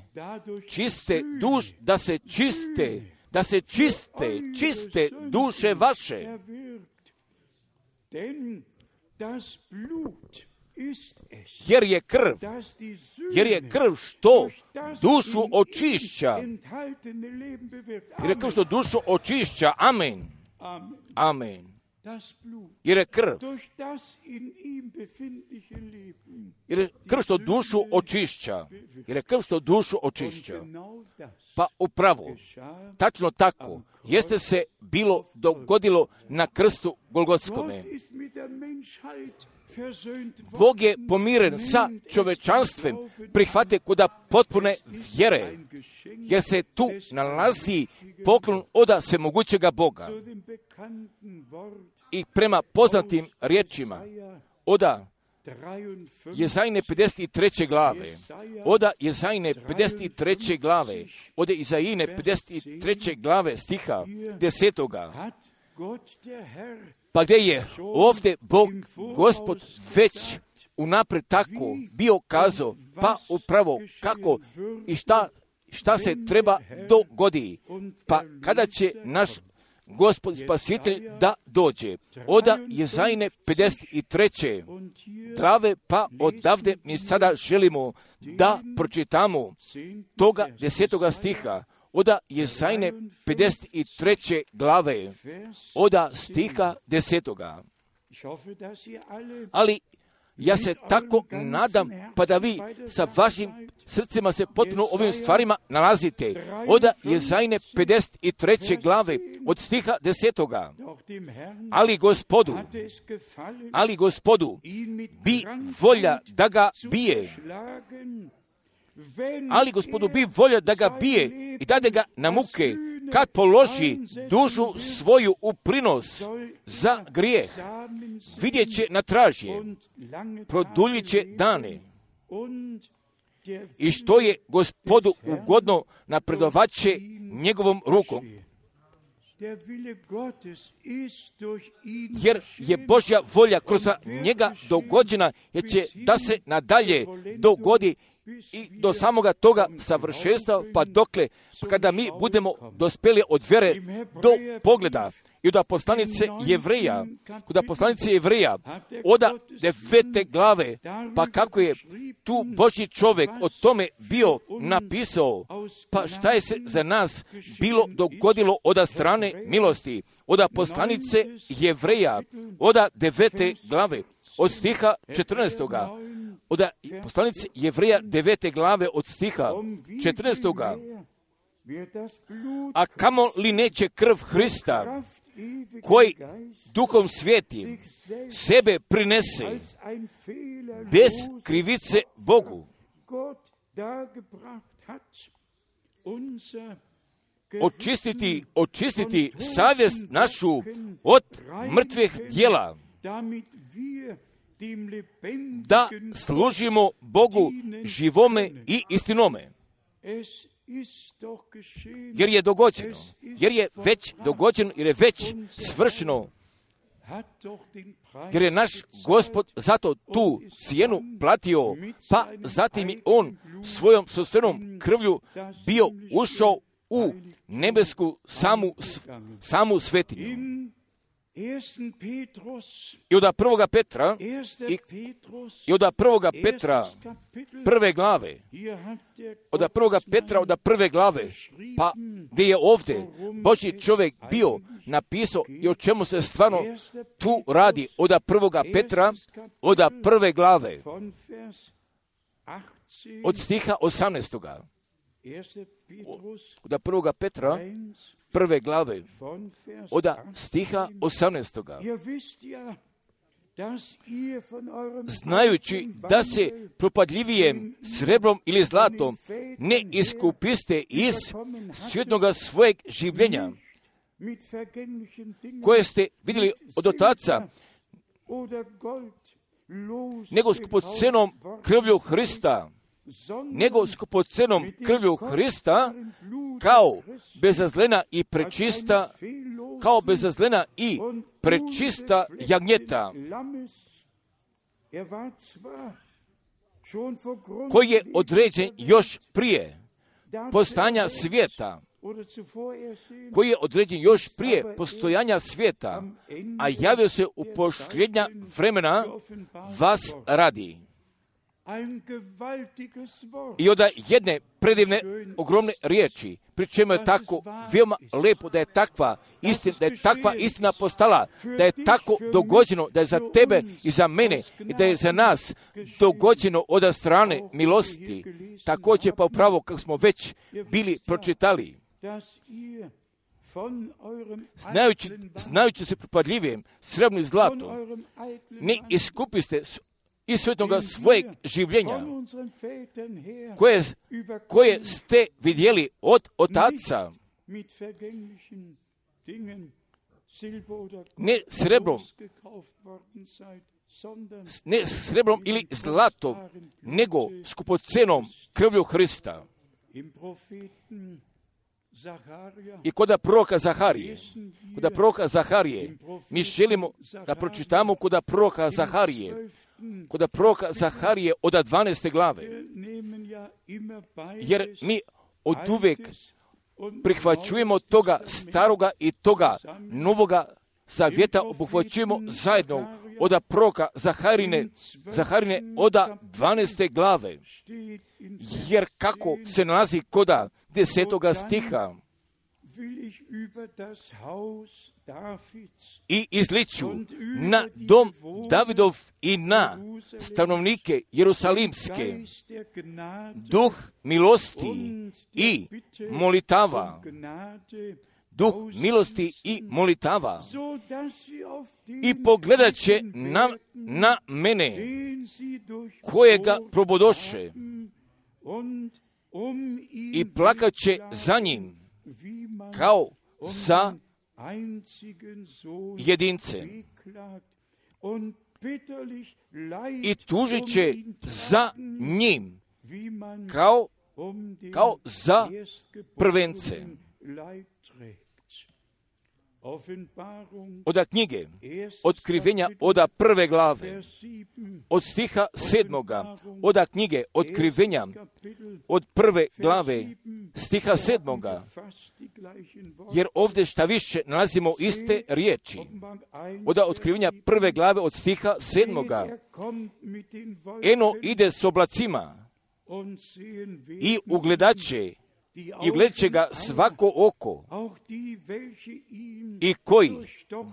čiste duše vaše. Jer je krv što dušu očišća. Amen. Jer je krv što dušu očišća. Pa upravo, tačno tako, jeste se bilo dogodilo na krstu Golgotskome. Bog je pomiren sa čovečanstvem, prihvate kuda potpune vjere, jer se tu nalazi poklon od svemogućega Boga. i prema poznatim riječima oda Jezajne 53. glave, oda Jezajne 53. glave, ode Izajine 53. glave stiha 10. Pa gdje je ovdje Bog, Gospod, već unaprijed tako bio kazao, pa upravo kako i šta se treba dogodi, pa kada će naš Gospod Spasitelj da dođe. Oda Jezajne 53. glave, pa odavde mi sada želimo da pročitamo toga 10. stiha. Oda Jezajne 53. glave, oda stiha 10. Ali ja se tako nadam, pa da vi sa vašim srcima se potpuno ovim stvarima nalazite. Oda Jezajne 53. glave, od stiha 10. Ali gospodu bi volja da ga bije. Ali gospodu bi volja da ga bije i dade ga na muke, kad položi dušu svoju u prinos za grijeh. Vidjet će na tražje, produljit će dane. I što je Gospodu ugodno, napredovat će njegovom rukom. Jer je Božja volja kroz njega dogođena, jer će da se nadalje dogodi i do samoga toga savršenstva, pa dokle, kada mi budemo dospjeli od vjere do pogleda. I od poslanice Jevreja, oda 9. glave, pa kako je tu Božji čovjek o tome bio napisao, pa šta je se za nas bilo dogodilo od strane milosti. Od poslanice Jevreja, oda 9. glave, od stiha 14. Od poslanice Jevreja 9. glave, od stiha 14. A kamo li neće krv Hrista, koji duhom sveti sebe prinese bez krivice Bogu, očistiti savjest našu od mrtvih djela, da služimo Bogu živome i istinome. Jer je dogođeno, jer je već svršeno, jer je naš Gospod zato tu cijenu platio, pa zatim je on svojom sopstvenom krvlju bio ušao u nebesku samu svetinju. I od 1. Petra prve glave, od 1. Petra od prve glave, pa gdje je ovdje Božji čovjek bio napisao i o čemu se stvarno tu radi. Od 1. Petra od prve glave, od stiha 18. Od 1. Petra prve glave, od stiha 18. Znajući da se propadljivijem srebrom ili zlatom ne iskupiste iz svjetnoga svojeg življenja, koje ste vidjeli od otaca, nego skupocenom krvlju Hrista, kao bezazlena i prečista jagnjeta, koji je određen još prije postojanja svijeta, a javio se u posljednja vremena vas radi. I od jedne predivne, ogromne riječi, pri čemu je tako veoma lepo da je takva istina postala, da je tako dogođeno, da je za tebe i za mene i da je za nas dogođeno od strane milosti. Također pa upravo kako smo već bili pročitali. Znajući se propadljivijem srebrnim zlatom, ne iskupiste iz svjetnoga svojeg življenja, koje ste vidjeli od otaca, ne srebrom ili zlatom, nego skupocenom krvlju Hrista. I kod proroka Zaharije, mi želimo da pročitamo kod proroka Zaharije od 12. glave, jer mi oduvek prihvaćujemo toga staroga i toga novoga zavjeta, obuhvaćujemo zajedno od proroka Zaharine od 12. glave, jer kako se nalazi kod 10. stiha, i izliču na dom Davidov i na stanovnike Jerusalimske duh milosti i molitava, i pogledat će na mene kojega probodoše i plakat će za njim kao za jedince i tužit će za njim kao za prvence. Od knjige Otkrivenja od 1. glave, od stiha 7. od knjige Otkrivenja od 1. glave, stiha 7. Jer ovdje šta više nalazimo iste riječi. Od Otkrivenja 1. glave od stiha 7. Eno ide s oblacima i ugledat će ga svako oko i koji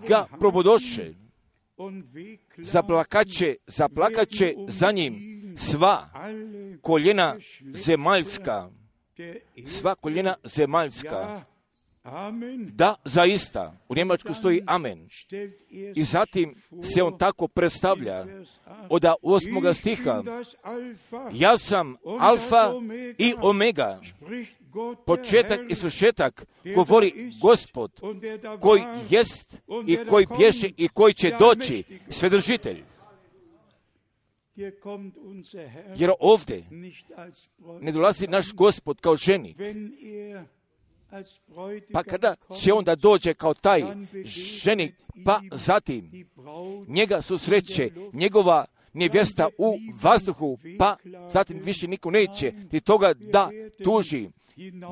ga probodoše, zaplakat će za njim sva koljena zemaljska. Da, zaista, u Njemačku stoji amen. I zatim se on tako predstavlja od 8. stiha. Ja sam alfa i omega, početak i svršetak, govori Gospod, koji jest i koji bješe i koji će doći, Svedržitelj. Jer ovdje ne dolazi naš Gospod kao ženik. Pa kada će on da dođe kao taj ženik, pa zatim njega susreće njegova nevjesta u vazduhu, pa zatim više niko neće ni toga da tuži,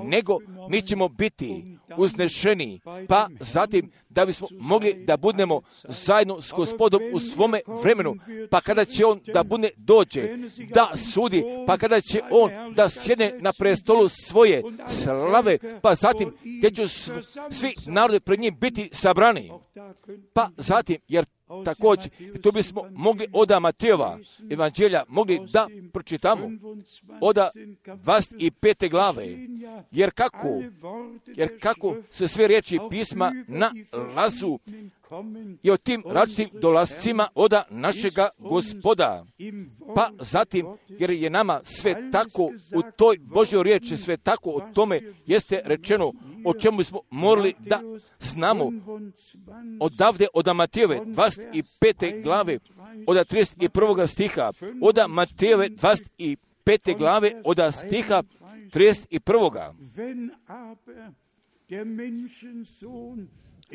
nego mi ćemo biti uznešeni, pa zatim da bismo mogli da budemo zajedno s Gospodom u svome vremenu, pa kada će on da bude dođe, da sudi, pa kada će on da sjedne na prestolu svoje slave, pa zatim gdje će svi narodi pred njim biti sabrani, pa zatim, jer također, tu bismo mogli od Matejova evanđelja mogli da pročitamo od 25. glave, jer kako se sve riječi pisma nalazu i o tim različitim dolascima od našega Gospoda. Pa zatim, jer je nama sve tako u toj Božjoj riječi, sve tako o tome jeste rečeno, o čemu smo morali da znamo odavde od Matejove 25. glave, od 31. stiha, od Matejove 25. glave, od stiha 31.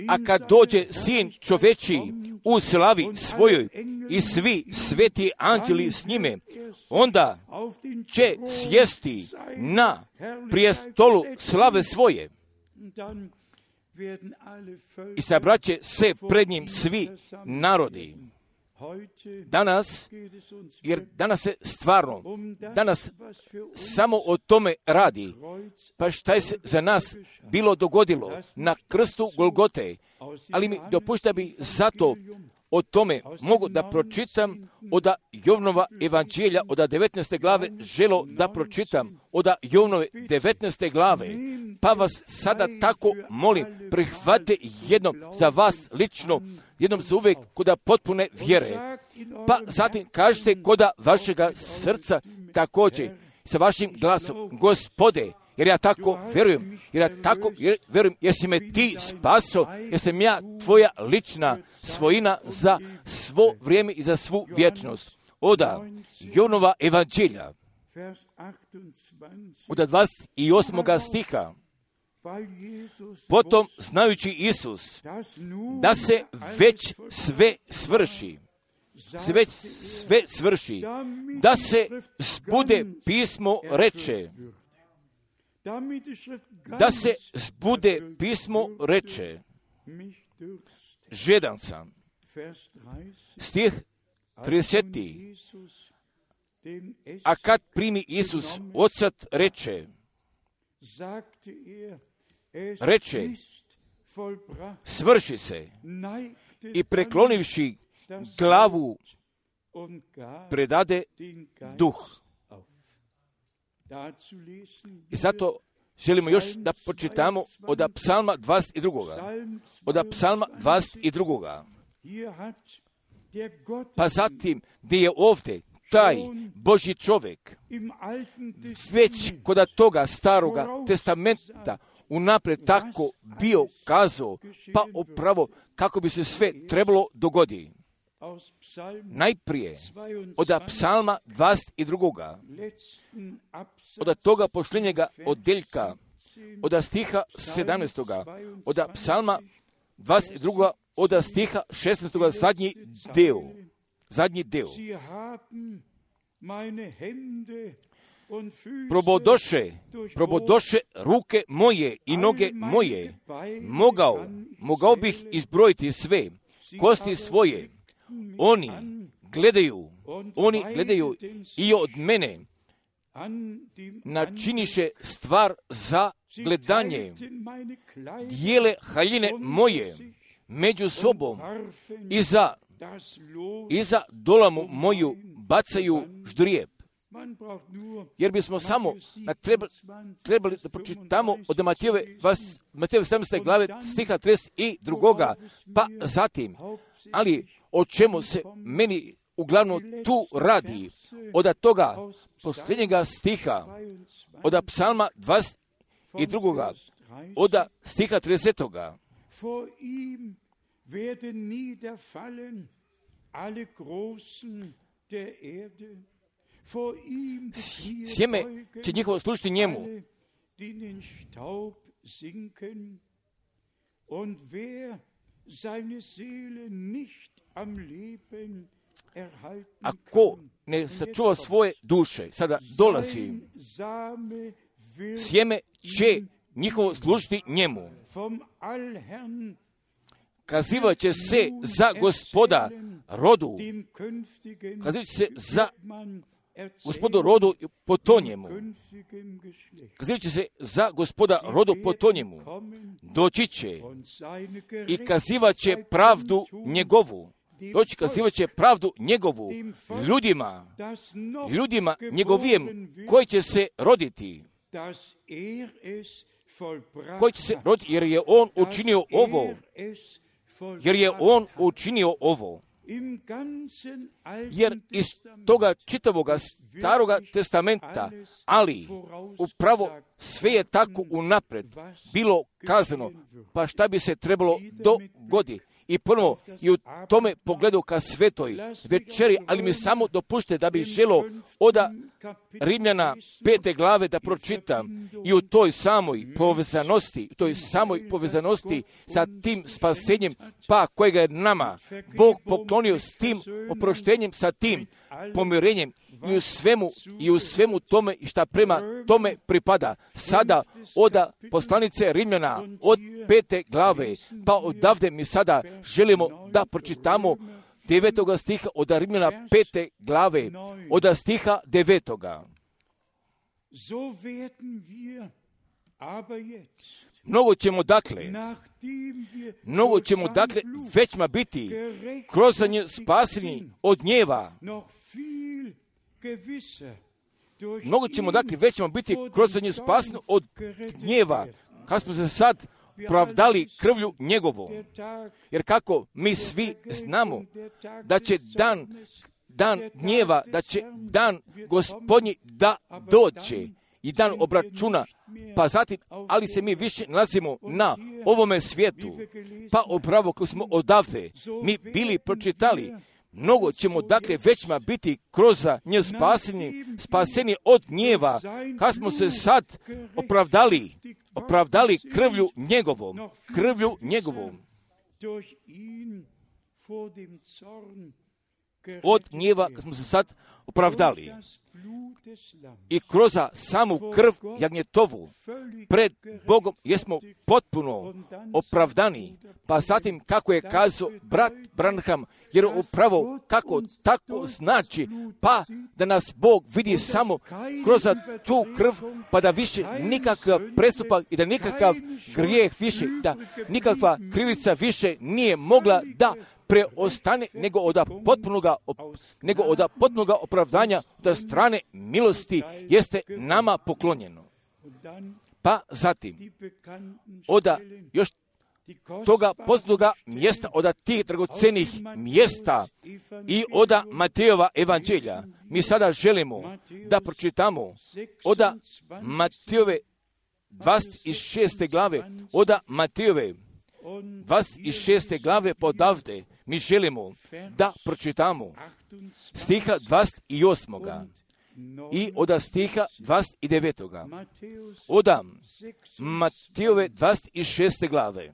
A kad dođe sin čoveči u slavi svojoj i svi sveti anđeli s njime, onda će sjesti na prijestolu slave svoje i sabraće se pred njim svi narodi. Danas se stvarno, samo o tome radi. Pa šta je se za nas bilo dogodilo na krstu Golgote, ali mi dopušta bi zato o tome mogu da pročitam od Jovnova evanđelja od 19. glave, želo da pročitam od Jovnove 19. glave, pa vas sada tako molim, prihvate jednom za vas lično, jednom za uvijek kod potpune vjere, pa zatim kažete kod vašega srca također sa vašim glasom, Gospode, jer ja tako vjerujem, jer si me ti spaso, jer sam ja tvoja lična svojina za svo vrijeme i za svu vječnost. Oda Jonova evanđelja, od 28. stiha. Potom, znajući Isus, da se već sve svrši, da se zbude pismo reče, žedan sam. Stih 30. A kad primi Isus odsad reče, svrši se, i preklonivši glavu predade duh. I zato želimo još da počitamo od psalma 22. Pa zatim, gdje je ovdje taj Božji čovjek već kod toga staroga testamenta unaprijed tako bio kazao, pa upravo kako bi se sve trebalo dogoditi. Najprije od psalma 22. od toga posljednjega odjeljka, od stiha 17. od psalma 22. od stiha 16. zadnji dio. Probodoše ruke moje i noge moje. Mogao bih izbrojiti sve kosti svoje. Oni gledaju i od mene načiniše stvar za gledanje. Dijele haljine moje među sobom i za dolamu moju bacaju ždrijeb. Jer bismo samo trebali da pročitamo od Matejove 17. glave stiha 32. Pa zatim, ali o čemu se meni uglavnom tu radi? Od toga posljednjega stiha, od psalma 22. od stiha 30. Vor ihm werden niederfallen alle Großen der Erde. Vor ihm sjeme će njihovo služiti njemu. die in den Staub sinken. Und wer seine Seele nicht am Leben erhalten A ko kann, ne sačuva svoje duše, sada dolazi, sein Same wird sjeme će njihovo služiti njemu. vom Allherrn Kazivat će se za gospoda rodu, dem künftigen kazivat će se za man gospodu rodu po to njemu. künftigen Geschlecht Kazivat će se za gospoda rodu po to njemu. Doći će und seine i kazivat će pravdu njegovu. Doći kazivat će pravdu njegovu ljudima njegovijem koji će se roditi. dass es vollbracht Koji će se roditi jer je on učinio ovo. Jer je on učinio ovo. im ganzen Jer Alten iz toga čitavoga staroga testamenta, ali upravo sve je tako unapred bilo kazano, pa šta bi se trebalo dogoditi. I ponovo i u tome pogledu ka svetoj večeri, ali mi samo dopušte da bih želio od Rimljana 5. glave da pročitam i u toj samoj povezanosti sa tim spasenjem, pa kojega je nama Bog poklonio s tim oproštenjem, sa tim pomirenjem i u svemu tome i šta prema tome pripada. Sada od poslanice Rimljana od 5. glave, pa odavde mi sada želimo da pročitamo 9. stiha od Rimljana 5. glave, od stiha 9. So werden wir aber jetzt, Mnogo ćemo dakle većma biti kroz nje spaseni od gnjeva. noch viel gewisser durch Mnogo ćemo dakle većma biti kroz nje spaseni od gnjeva. Kad smo se sad pravdali krvlju njegovom. Jer kako mi svi znamo da će dan gnjeva, da će dan gospodnji da dođe. i dan obračuna, pa zatim, ali se mi više nalazimo na ovome svijetu, pa upravo kako smo odavde mi bili pročitali, mnogo ćemo dakle većma biti kroz nje spaseni od gnjeva, kad smo se sad opravdali krvlju njegovom. Od gnjeva kad smo se sad opravdali. I kroz samu krv jagnjetovu pred Bogom jesmo potpuno opravdani. Pa zatim kako je kazao brat Branham, jer upravo kako tako znači, pa da nas Bog vidi samo kroz tu krv, pa da više nikakav prestupak i da nikakav grijeh više, da nikakva krivica više nije mogla da preostane nego od potpunoga opravdanja da strane milosti jeste nama poklonjeno. Pa zatim, od još toga poznatoga mjesta, od tih dragocenih mjesta i od Matejova evanđelja, mi sada želimo da pročitamo od Matejove 26. glave, od Matejove 26. glave podavde, mi želimo da pročitamo stiha 28. i od stiha 29. Od Matejove 26. glave.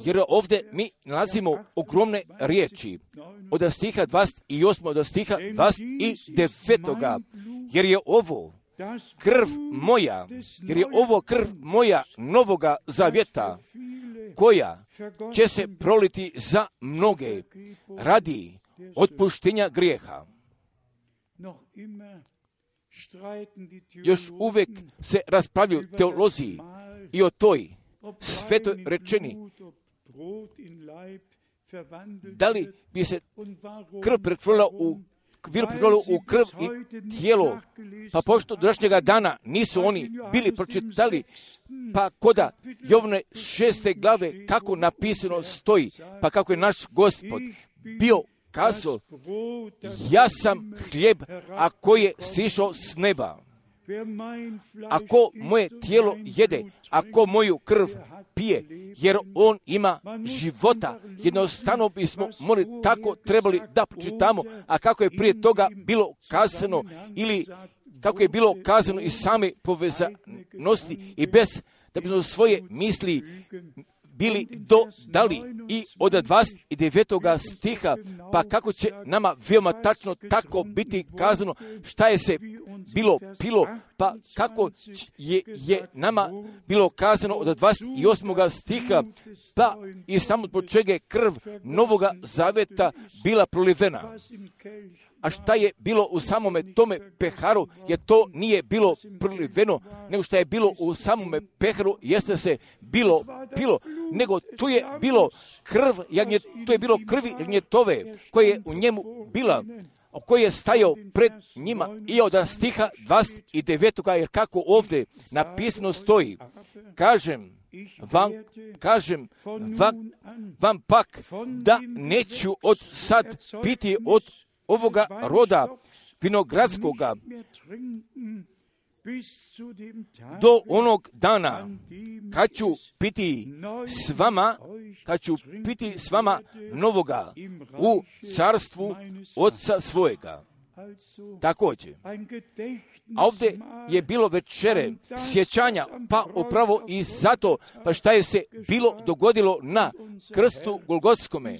Jer ovdje mi nalazimo ogromne riječi od stiha 28. od stiha 29. Jer je ovo krv moja novoga zavjeta, koja će se proliti za mnoge radi otpuštenja grijeha. Još uvijek se raspravljaju teolozi i o toj svetoj rečeni, da li bi se krv pretvorila u krv i tijelo, pa pošto današnjega dana nisu oni bili pročitali, pa koda Jovne 6. glave kako napisano stoji, pa kako je naš Gospod bio kazao, ja sam hljeb, a koji je sišao s neba. Ako moje tijelo jede, ako moju krv pije, jer on ima života, jednostavno bismo tako trebali da pročitamo, a kako je prije toga bilo kazano, ili kako je bilo kazano iz same povezanosti i bez da bismo svoje misli bili dodali i od 29. stiha, pa kako će nama veoma tačno tako biti kazano šta je se bilo pilo, pa kako je nama bilo kazano od 28. stiha, pa i samo zbog čega je krv novoga zaveta bila prolivena. A šta je bilo u samome tome peharu, jer to nije bilo proliveno, nego šta je bilo u samome peharu, jeste se bilo pilo, nego tu je bilo krvi jagnjetove, koje je u njemu bila, koji je stajao pred njima, i od stiha 29. jer kako ovdje napisano stoji, kažem vam pak da neću od sad piti od ovoga roda vinogradskoga do onog dana kad ću piti s vama novoga u carstvu Oca svojega. Također, a ovdje je bilo večere sjećanja, pa upravo i zato, pa šta je se bilo dogodilo na krstu Golgotskome.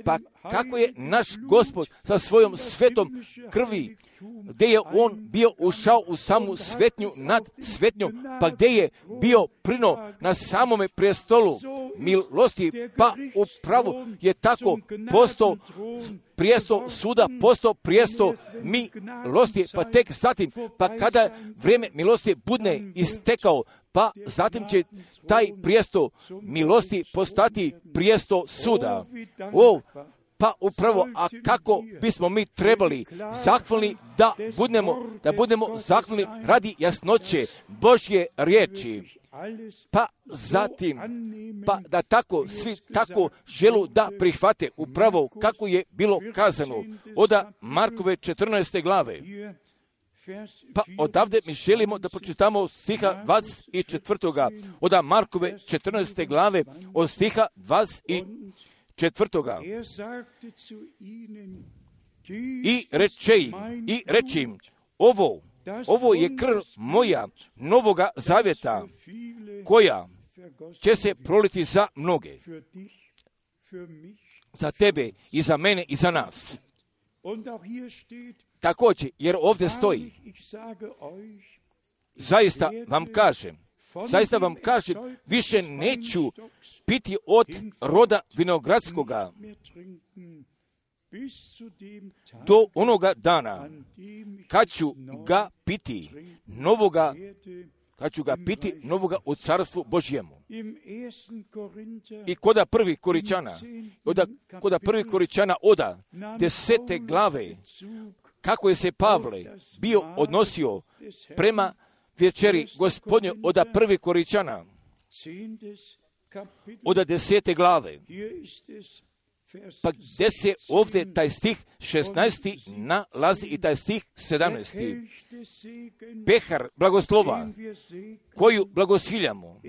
Pa kako je naš Gospod sa svojom svetom krvi, gdje je on bio ušao u samu svetnju nad svetnjom, pa gdje je bio prino na samome prestolu milosti, pa upravo je tako postao prijesto suda, postao prijesto milosti, pa tek zatim, pa kada vrijeme milosti budne istekao, pa zatim će taj prijesto milosti postati prijesto suda. Pa upravo, a kako bismo mi trebali zahvalni da budemo zahvalni radi jasnoće Božje riječi. pa zatim, pa da tako, svi tako želu da prihvate upravo kako je bilo kazano od Markove 14. glave. Pa odavde mi želimo da pročitamo stiha 24. od Markove 14. glave od stiha 24. I reče im, ovo je krv moja novoga zavjeta, koja će se proliti za mnoge, za tebe i za mene i za nas. Također, jer ovdje stoji, zaista vam kažem, više neću piti od roda vinogradskoga do onoga dana kad ću ga piti novoga u carstvu Božjemu. I koda prvih Koričana oda 10. glave, kako je se Pavle bio odnosio prema večeri Gospodnje oda prvih Koričana oda 10. glave. Pa gdje se ovdje taj stih 16. nalazi i taj stih 17. Pehar blagoslova koju blagosiljamo,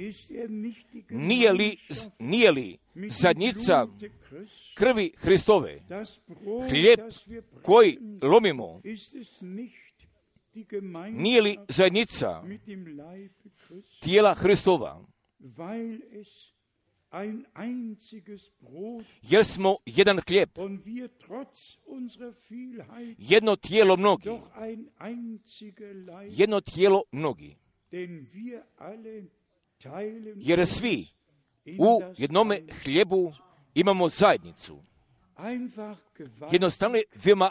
nije li zadnjica krvi Hristove? Hlijeb koji lomimo, nije li zajednica tijela Hristova? Jer smo jedan hlijeb, jedno tijelo mnogi, jer svi u jednome hljebu imamo zajednicu. Jednostavno je veoma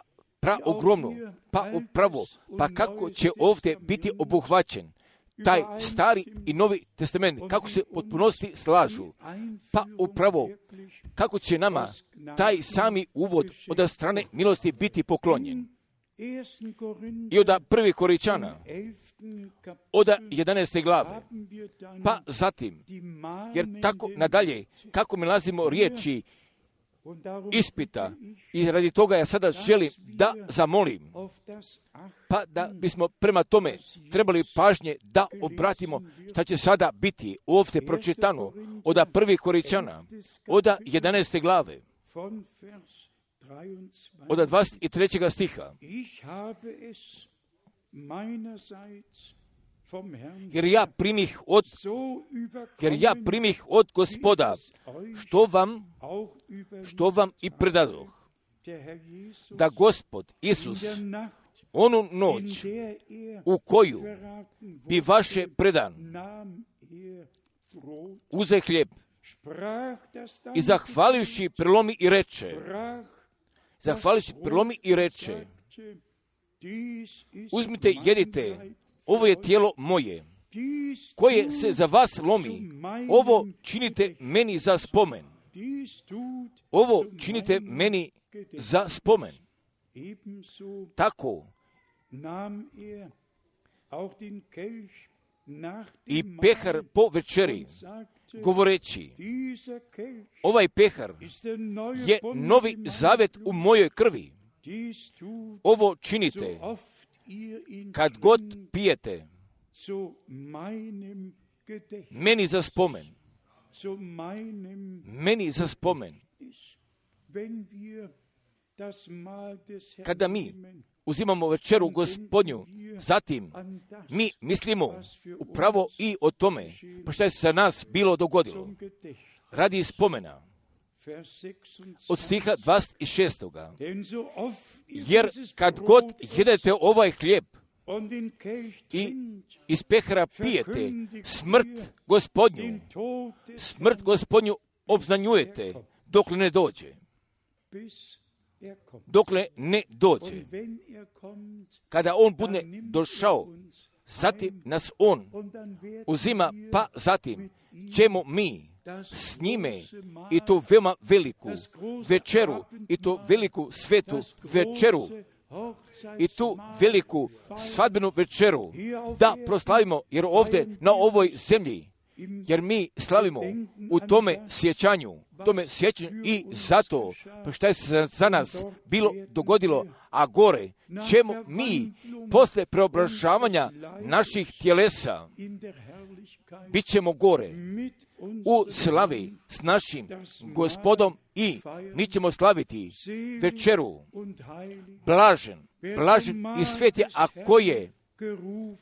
ogromno, pa upravo, pa kako će ovdje biti obuhvaćen taj stari i novi testament, kako se potpunosti slažu, pa upravo kako će nama taj sami uvod od strane milosti biti poklonjen. I od prvih Koričana, od 11. glave, pa zatim, jer tako nadalje, kako mi nalazimo riječi ispita, i radi toga ja sada želim da zamolim, pa da bismo prema tome trebali pažnje da obratimo šta će sada biti ovdje pročitano od prvih Koričana, od 11. glave, od 23. stiha. Jer ja primih od Gospoda, što vam i predadoh, da Gospod Isus onu noć u koju bi vaše predan uze hljeb i zahvalivši prelomi i reče, uzmite, jedite, ovo je tijelo moje, koje se za vas lomi, ovo činite meni za spomen. Ovo činite meni za spomen. Tako i pehar po večeri, govoreći, ovaj pehar je novi zavjet u mojoj krvi. Ovo činite kad god pijete meni za spomen. Meni za spomen. Kada mi uzimamo večeru Gospodnju, zatim mi mislimo upravo i o tome, pa što je sa nas bilo dogodilo. Radi spomena od stiha 26. Jer kad god jedete ovaj hlijeb i iz pehara pijete smrt Gospodnju obznanjujete dokle ne dođe. Kada on bude došao, zatim nas on uzima, pa zatim ćemo mi s njime i tu veoma veliku večeru, i tu veliku svetu večeru, i tu veliku svadbenu večeru da proslavimo, jer ovdje na ovoj zemlji jer mi slavimo u tome sjećanju i zato što je se za nas bilo dogodilo, a gore ćemo mi posle preobražavanja naših tjelesa bit ćemo gore u slavi s našim Gospodom i mi ćemo slaviti večeru. Blažen i sveti, a koji je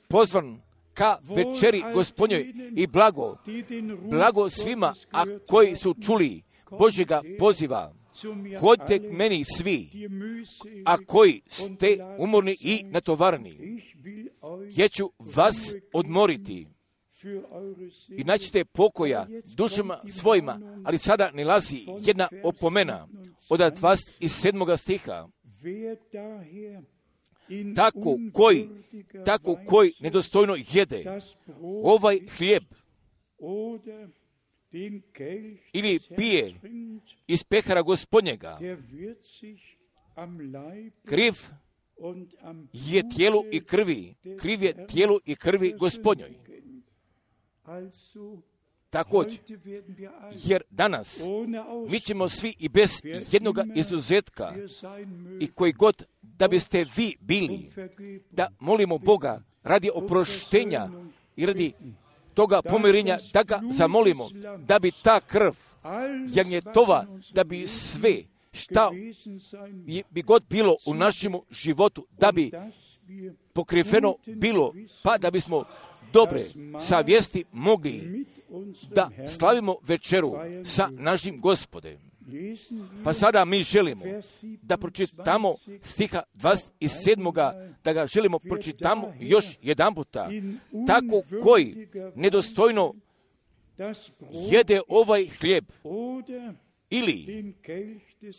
pozvan ka večeri Gospodnjoj i blago svima, a koji su čuli Božjega poziva. Hodite k meni svi, a koji ste umorni i natovarni. Ja ću vas odmoriti i naćete pokoja dušama svojima, ali sada nilazi jedna opomena od 27. stiha. Tako koji nedostojno jede ovaj hljeb ili pije iz pehara Gospodnjega, kriv je tijelu i krvi Gospodnjoj. Također, jer danas mi ćemo svi i bez jednoga izuzetka i koji god da biste vi bili, da molimo Boga radi oproštenja i radi toga pomirenja, da ga zamolimo, da bi ta krv jagnjetova, da bi sve šta bi god bilo u našem životu, da bi pokriveno bilo, pa da bismo dobre savjesti mogli da slavimo večeru sa našim Gospodem. Pa sada mi želimo da pročitamo stiha 27. da ga želimo pročitamo još jedan puta. Tako koji nedostojno jede ovaj hljeb ili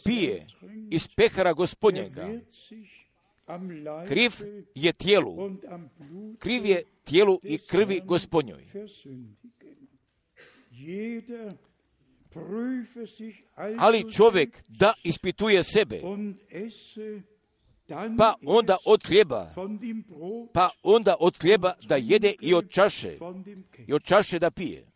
pije iz pehara Gospodnjega, kriv je tijelu i krvi Gospodnjoj. Ali čovjek da ispituje sebe, pa onda od hljeba da jede i od čaše da pije.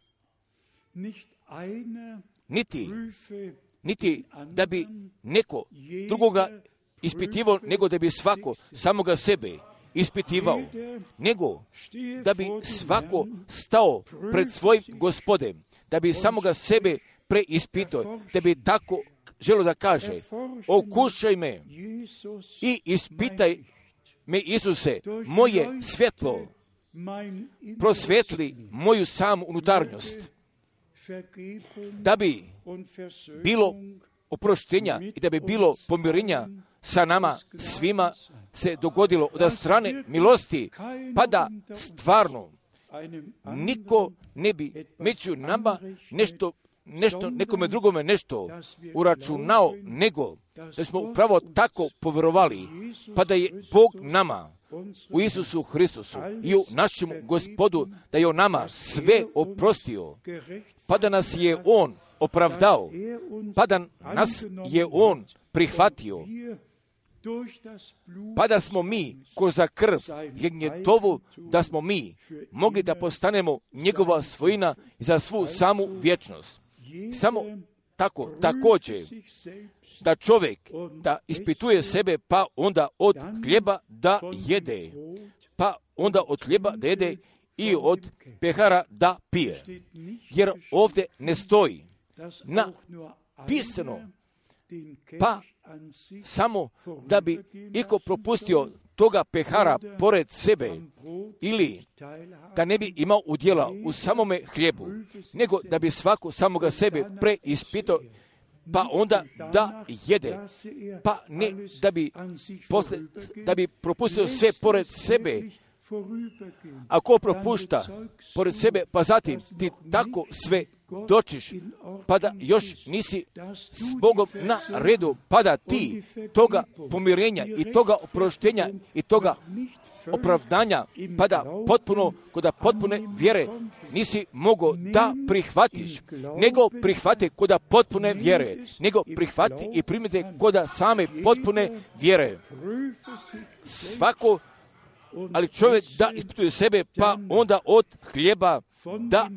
Niti da bi neko drugoga ispitivao, nego da bi svako samoga sebe ispitivao, nego da bi svako stao pred svojim Gospodem, da bi samoga sebe preispitao, da bi tako želio da kaže: okušaj me i ispitaj me, Isuse, moje svjetlo, prosvetli moju samu unutarnjost, da bi bilo oproštenja i da bi bilo pomirenja sa nama svima se dogodilo od strane milosti, pa da stvarno niko ne bi među nama nešto nekome drugome nešto uračunao, nego da smo upravo tako povjerovali, pa da je Bog nama u Isusu Hristusu i u našem Gospodu, da je on nama sve oprostio, pa da nas je on opravdao, pa da nas je on prihvatio, pa da smo mi kroz krv jagnjetovu, da smo mi mogli da postanemo njegova svojina za svu samu vječnost. Samo tako, također, da čovjek da ispituje sebe, pa onda od hljeba da jede, i od pehara da pije. Jer ovdje ne stoji napisano, pa samo da bi iko propustio toga pehara pored sebe ili da ne bi imao udjela u samome hlijebu, nego da bi svako samoga sebe preispitao, pa onda da jede, pa ne da bi propustio sve pored sebe. Ako propušta pored sebe, pa zatim ti tako sve dočiš, pa da još nisi s Bogom na redu, pa da ti toga pomirenja i toga oproštenja i toga opravdanja, pa da kod potpune vjere nisi mogao da prihvatiš, nego prihvati kod potpune vjere, nego prihvati i primite kod same potpune vjere. Svako, ali čovjek da ispituje sebe, pa onda od hljeba da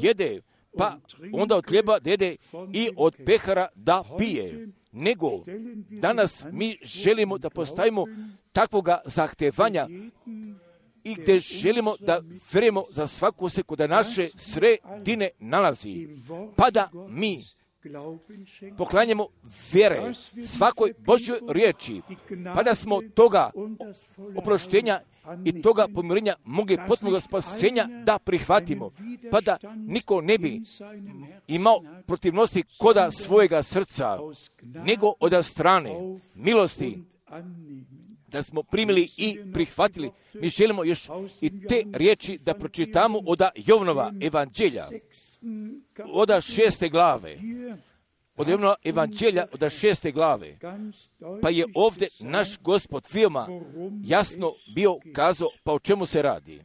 jede, pa onda od hljeba da jede i od pehara da pije. Nego danas mi želimo da postavimo takvoga zahtevanja i gdje želimo da vjerujemo za svaku sekundu da naše sredine nalazi, pa da mi poklanjamo vjere svakoj Božjoj riječi, pa da smo toga oproštenja i toga pomirenja mogli potpunog spasenja da prihvatimo, pa da niko ne bi imao protivnosti koda svojega srca, nego od strane milosti da smo primili i prihvatili. Mi želimo još i te riječi da pročitamo od Jovanova evanđelja, od 6. glave. Od Jovanova evanđelja, od 6. glave. Pa je ovdje naš Gospod veoma jasno bio kazao pa o čemu se radi.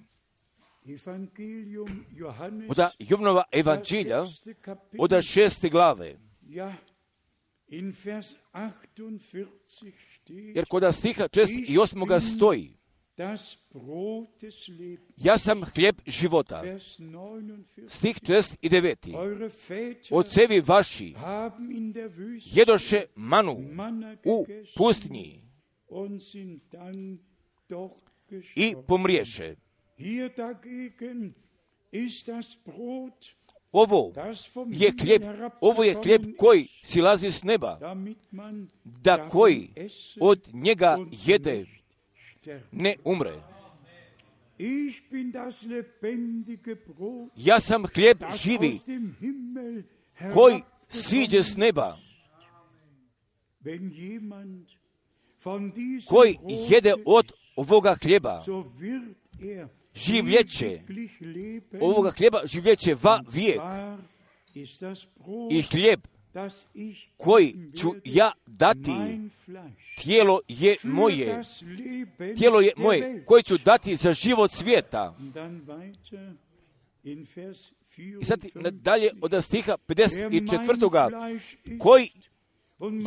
Od Jovanova evanđelja, od 6. glave. Jer kod stiha 6. i 8. stoji: ja sam hljeb života. Stih 6. i 9. Ocevi vaši jedoše manu u pustinji i pomriješe. Ovo je hljeb koji silazi s neba, da koji od njega jede ne umre. Ja sam hljeb živi koji siđe s neba. Koji jede od ovoga hljeba življeće, ovoga hljeba življeće va vijek. I hljeb koji ću ja dati, tijelo je moje, koje ću dati za život svijeta. I sad nadalje od stiha 54. koji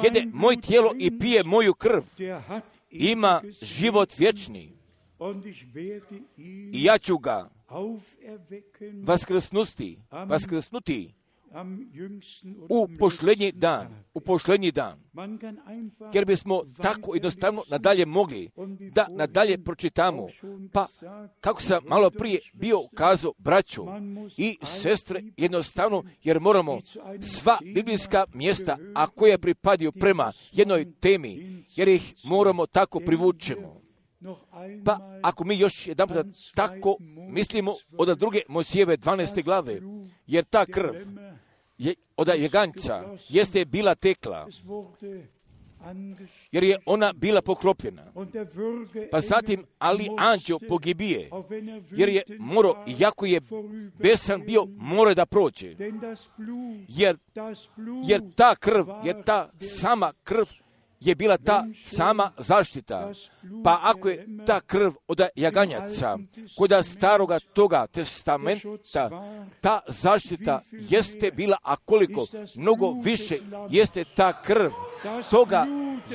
jede moj tijelo i pije moju krv, ima život vječni. I ja ću ga vaskrsnuti u posljednji dan. Jer bismo tako jednostavno nadalje mogli da nadalje pročitamo. Pa, kako sam malo prije bio kazao, braćo i sestre, jednostavno, jer moramo sva biblijska mjesta, a koje pripadaju prema jednoj temi, jer ih moramo tako privučemo. Pa ako mi još jedan puta tako mislimo od druge Mojsijeve 12. glave, jer ta krv od jaganjca jeste bila tekla, jer je ona bila pokropljena. Pa zatim, ali anđeo pogibije, jer je morao, iako je besan bio, mora da prođe. Jer ta krv, ta sama krv je bila ta sama zaštita. Pa ako je ta krv od jaganjaca, kod staroga toga testamenta, ta zaštita jeste bila, a koliko mnogo više jeste ta krv toga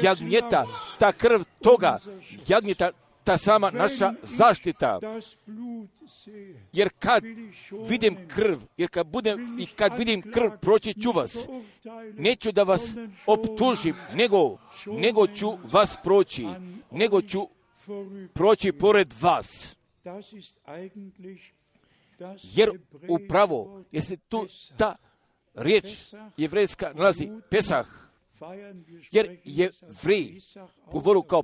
jagnjeta, ta krv toga jagnjeta, ta sama naša zaštita. Jer kad vidim krv, kad vidim krv, proći ću vas. Neću da vas optužim, nego ću vas proći, nego ću proći pored vas. Jer upravo, jeste tu ta riječ jevrejska nalazi Pesah, jer Jevrej govoru kao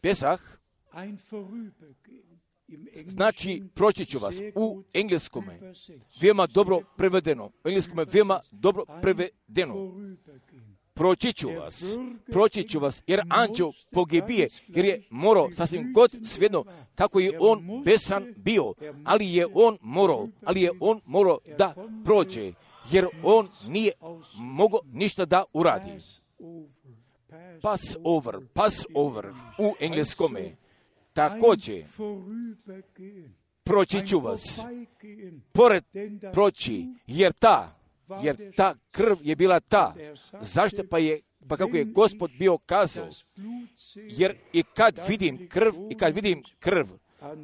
Pesah, znači proći ću vas. U engleskome veoma dobro prevedeno. Proći ću vas, jer anđeo pogibije, jer je morao sasvim god svejedno kako je on besan bio, ali je on morao da prođe, jer on nije mogao ništa da uradi. Pass over u engleskome. Također, proći ću vas, jer ta krv je bila ta. Zašto pa kako je Gospod bio kazao, jer i kad vidim krv,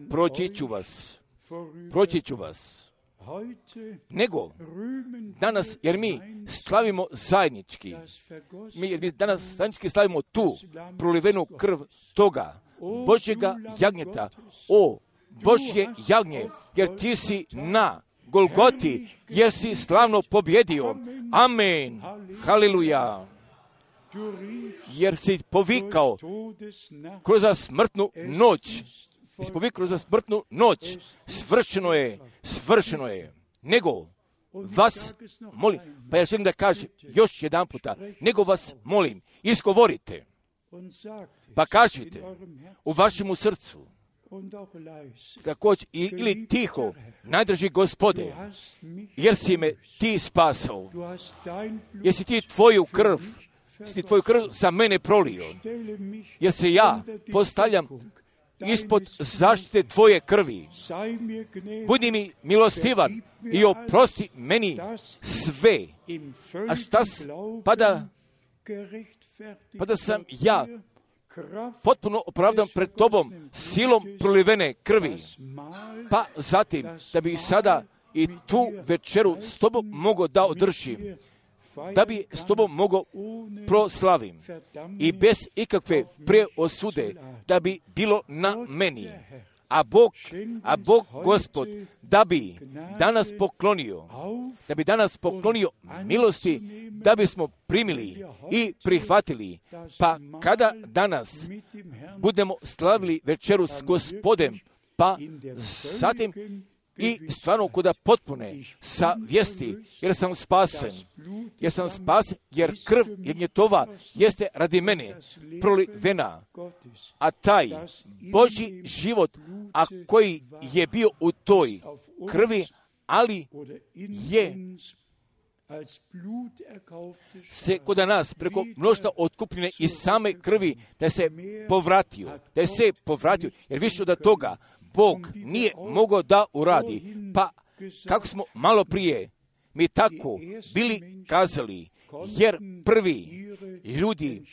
proći ću vas. proći ću vas. Nego, danas, jer mi slavimo zajednički, jer mi danas zajednički slavimo tu prolivenu krv toga Božjega jagnjeta, o Božje jagnje, jer ti si na Golgoti, jer si slavno pobjedio. Amen. Haleluja. Jer si povikao kroz smrtnu noć. Svršeno je, svršeno je. Nego vas molim, pa ja želim da kažem još jedan puta, nego vas molim, izgovorite, pa kažite u vašemu srcu, također ili tiho, najdraži Gospode, jer si me ti spasao, jer si ti tvoju krv za mene prolio, jer se ja postavljam ispod zaštite tvoje krvi. Budi mi milostivan i oprosti meni sve. A šta pa da sam ja potpuno opravdan pred tobom silom prolivene krvi. Pa zatim, da bi sada i tu večeru s tobom mogao da održim, da bi s tobom mogao proslavim i bez ikakve preosude, da bi bilo na meni. A Bog Gospod, da bi danas poklonio milosti, da bismo primili i prihvatili. Pa kada danas budemo slavili večeru s Gospodem, pa zatim i stvarno kuda potpune sa vijesti, jer sam spasen, jer krv jagnjetova jeste radi mene prolivena, a taj Božji život, a koji je bio u toj krvi, ali je se kod nas preko mnoštva otkupljene iz same krvi da se povratio, jer više od toga Bog nije mogao da uradi. Pa kako smo malo prije mi tako bili kazali, jer prvi ljudi,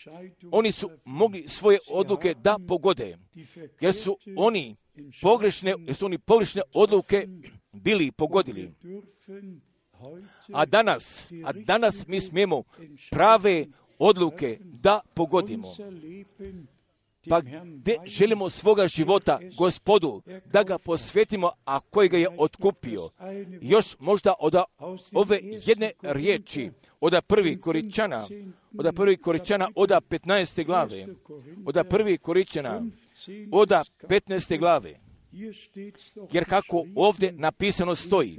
oni su mogli svoje odluke da pogode, jer su oni pogrešne odluke bili pogodili. A danas mi smijemo prave odluke da pogodimo. Pa gdje želimo svoga života Gospodu da ga posvetimo, a koji ga je otkupio. Još možda od ove jedne riječi, od 1. Koričana, od 15. glave, od 1. Koričana, od 15. glave, jer kako ovdje napisano stoji,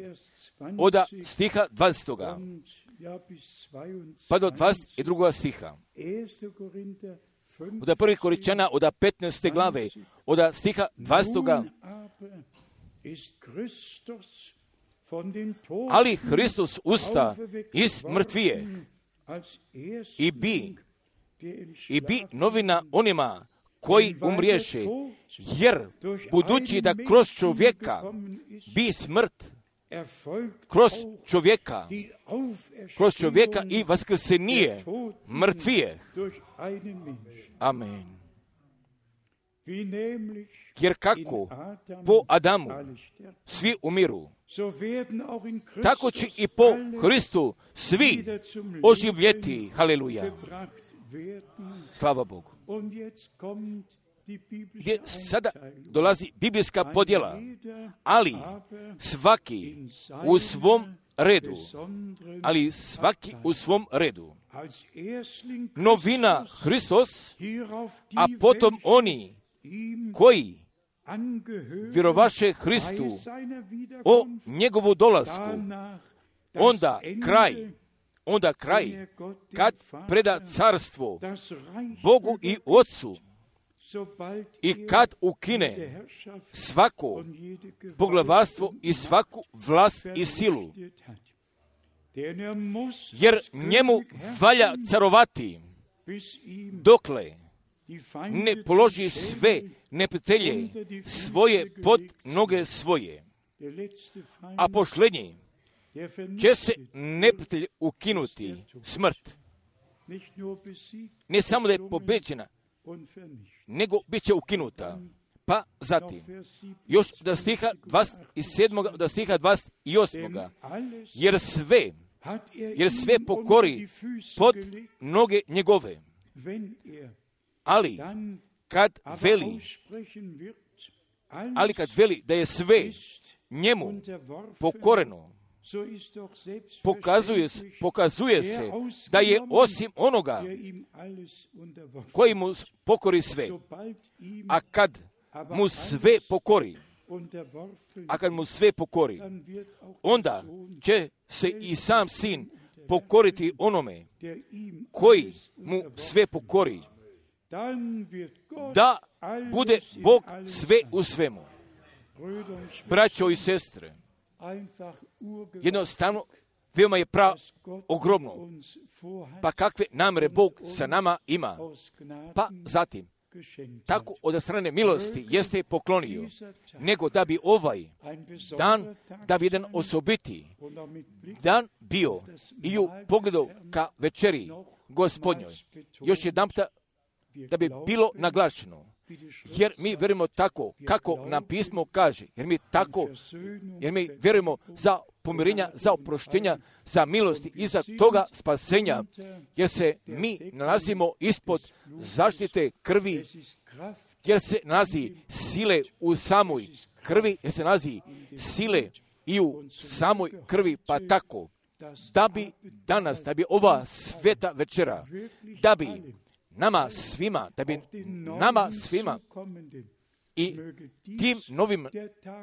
od stiha 20. pa do 22. stiha. Od 1. Koričana, od 15. glave, od stiha 20. Ali Hristos usta iz mrtvije i bi novina onima koji umriješe, jer budući da kroz čovjeka i vaskrsenije mrtvije. Amen. Jer kako po Adamu svi umiru, tako će i po Hristu svi oživjeti. Haleluja. Slava Bogu. Gdje sada dolazi biblijska podjela, ali svaki u svom redu. Novina Hristos, a potom oni koji vjerovaše Hristu o njegovu dolasku, onda kraj, kad preda carstvo Bogu i Otcu i kad ukine svako poglavarstvo i svaku vlast i silu, jer njemu valja carovati dokle ne položi sve neprijatelje svoje pod noge svoje. A posljednji će se neprijatelj ukinuti, smrt. Ne samo da je pobeđena, nego bit će ukinuta. Pa zatim, još do stiha 27. do stiha 28. Jer sve pokori pod noge njegove. Ali kad veli da je sve njemu pokoreno, pokazuje se da je osim onoga koji mu pokori sve. A kad mu sve pokori, onda će se i sam sin pokoriti onome koji mu sve pokori, da bude Bog sve u svemu. Braćo i sestre, jednostavno, veoma je ogromno. Pa kakve namere Bog sa nama ima? Pa zatim, tako od strane milosti jeste poklonio, nego da bi ovaj dan, da bi jedan osobiti dan bio i u pogledu ka večeri Gospodnjoj. Još jedan da bi bilo naglašeno, jer mi vjerujemo tako kako nam pismo kaže, jer mi vjerujemo za pomirenja, za oproštenja, za milosti i za toga spasenja, jer se mi nalazimo ispod zaštite krvi, jer se nalazi sile u samoj krvi, jer se nalazi sile i u samoj krvi, pa tako, da bi danas, da bi ova sveta večera, da bi nama svima i tim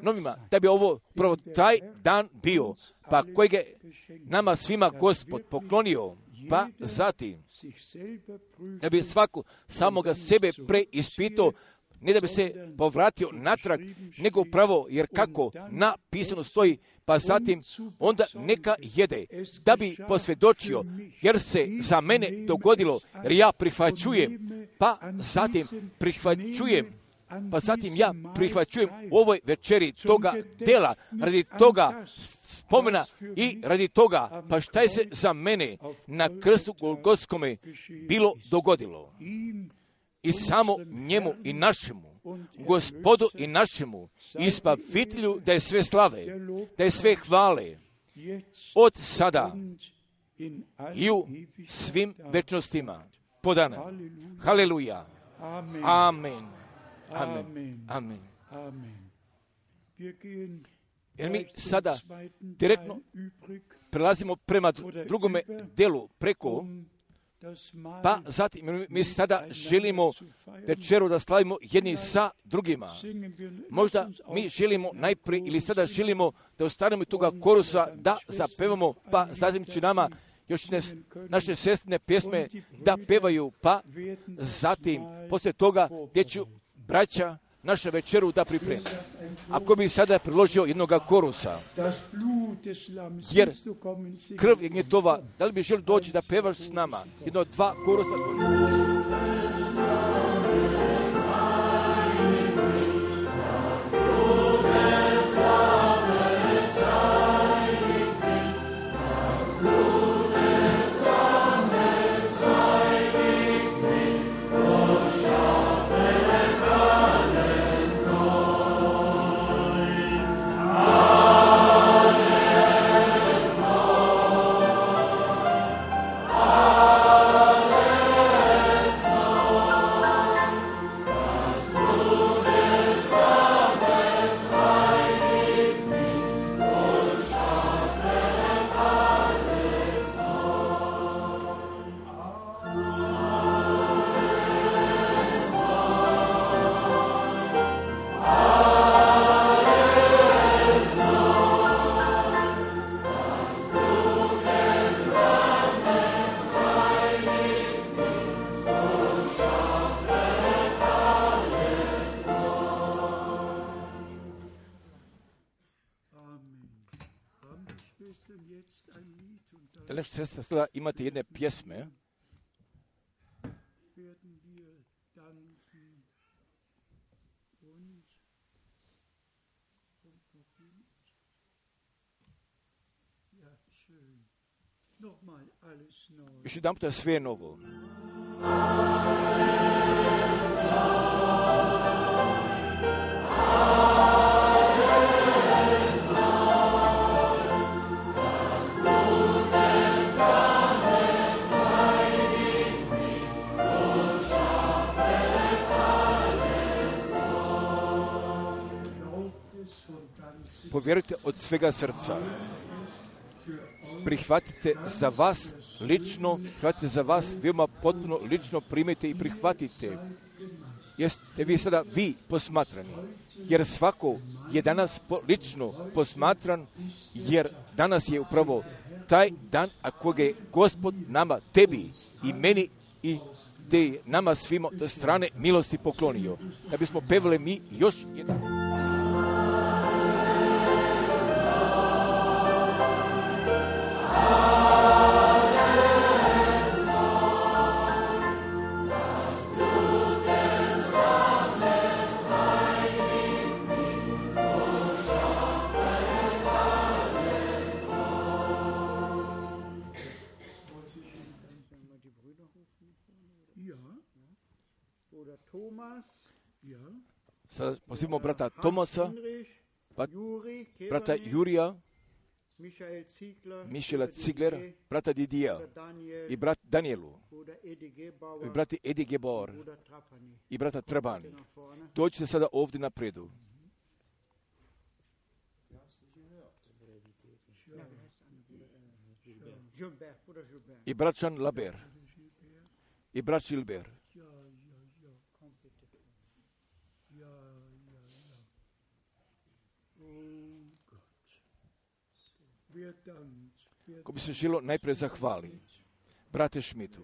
novima, da bi ovo prvo taj dan bio, pa kojeg je nama svima Gospod poklonio, pa zatim, da bi svako samoga sebe preispitao, ne da bi se povratio natrag, nego pravo, jer kako napisano stoji, pa zatim onda neka jede, da bi posvjedočio, jer se za mene dogodilo, jer ja prihvaćujem, pa zatim ja prihvaćujem u ovoj večeri toga dela, radi toga spomena i radi toga, pa šta je se za mene na krstu Golgotskome bilo dogodilo. I samo njemu i našemu, Gospodu i našemu, i Spasitelju, da je sve slave, da je sve hvale, od sada i u svim večnostima podane. Haleluja. Amen. Amen. Amen. Jer mi sada direktno prelazimo prema drugome delu preko, pa zatim mi sada želimo večeru da slavimo jedni sa drugima. Možda mi želimo najprije ili sada želimo da ostanemo toga korusa da zapevamo, pa zatim će nama još naše sestrine pjesme da pevaju, pa zatim poslije toga gdje ću braća naša večeru da pripremi. Ako bi sada priložio jednoga korusa, jer krv je gnjetova, da li bi želio doći da pevaš s nama? Jedno, dva korusa. Sestra, sada imate jedne pjesme. Još jedan puta sve je novo. vjerujte od svega srca. Prihvatite za vas lično, prihvatite za vas veoma potpuno lično, primite i prihvatite. Jeste vi sada vi posmatrani, jer svako je danas lično posmatran, jer danas je upravo taj dan, a koga je Gospod nama, tebi i meni i te je nama svima do strane milosti poklonio. Da bismo pevali mi još jedan. Sada pozivamo brata Tomasa, brata Jurija, Mišela Ziglera, brata Didija i brat Danielu, i brati Edi Gebor i brata Trabani. Dođite sada ovdje napredu. I brat Jean Laber i brat Gilbert. Ko bi se želo najprije zahvali brate Šmitu.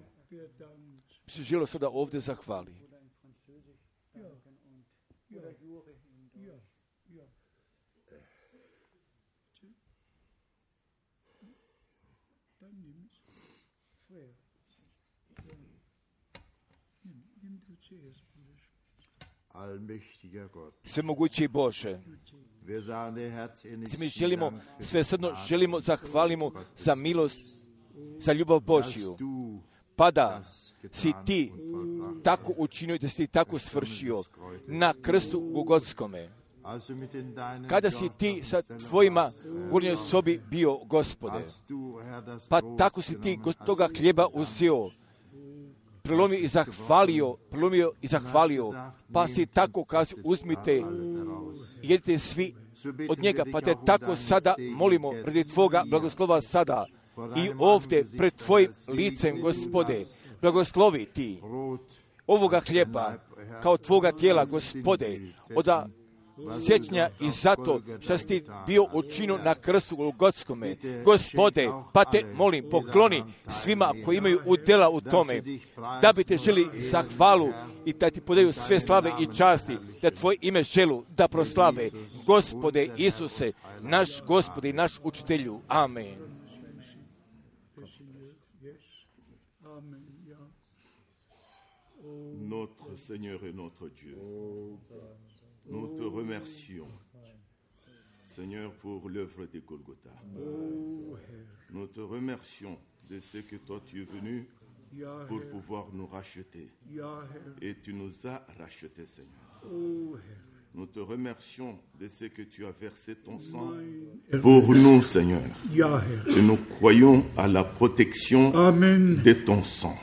Bi se želo sada ovdje zahvali. Svemogući Bože, mi želimo, svesrdno želimo zahvalimo za milost, za ljubav Božju. Pa da si ti tako učinio, da si ti tako svršio na krstu Golgotskome. Kada si ti sa tvojima gornjoj sobi bio, Gospode, pa tako si ti toga hljeba uzeo, prelomio i zahvalio, pa si tako kazao, uzmite, jedite svi od njega, pa te tako sada molimo radi tvoga blagoslova sada i ovdje pred tvojim licem, Gospode, blagoslovi ti ovoga hljeba kao tvoga tijela, Gospode, od sjećanja i zato što si ti bio učinio na krstu Golgotskome. Gospode, pa te molim, pokloni svima koji imaju udjela u tome, da bi te želi zahvalu i da ti podaju sve slave i časti, da tvoje ime želu da proslave. Gospode Isuse, naš Gospode i naš učitelju. Amen. Notre Seigneur et notre Dieu, nous te remercions, Seigneur, pour l'œuvre de Golgotha. Nous te remercions de ce que toi tu es venu pour pouvoir nous racheter. Et tu nous as rachetés, Seigneur. Nous te remercions de ce que tu as versé ton sang pour nous, Seigneur. Et nous croyons à la protection de ton sang.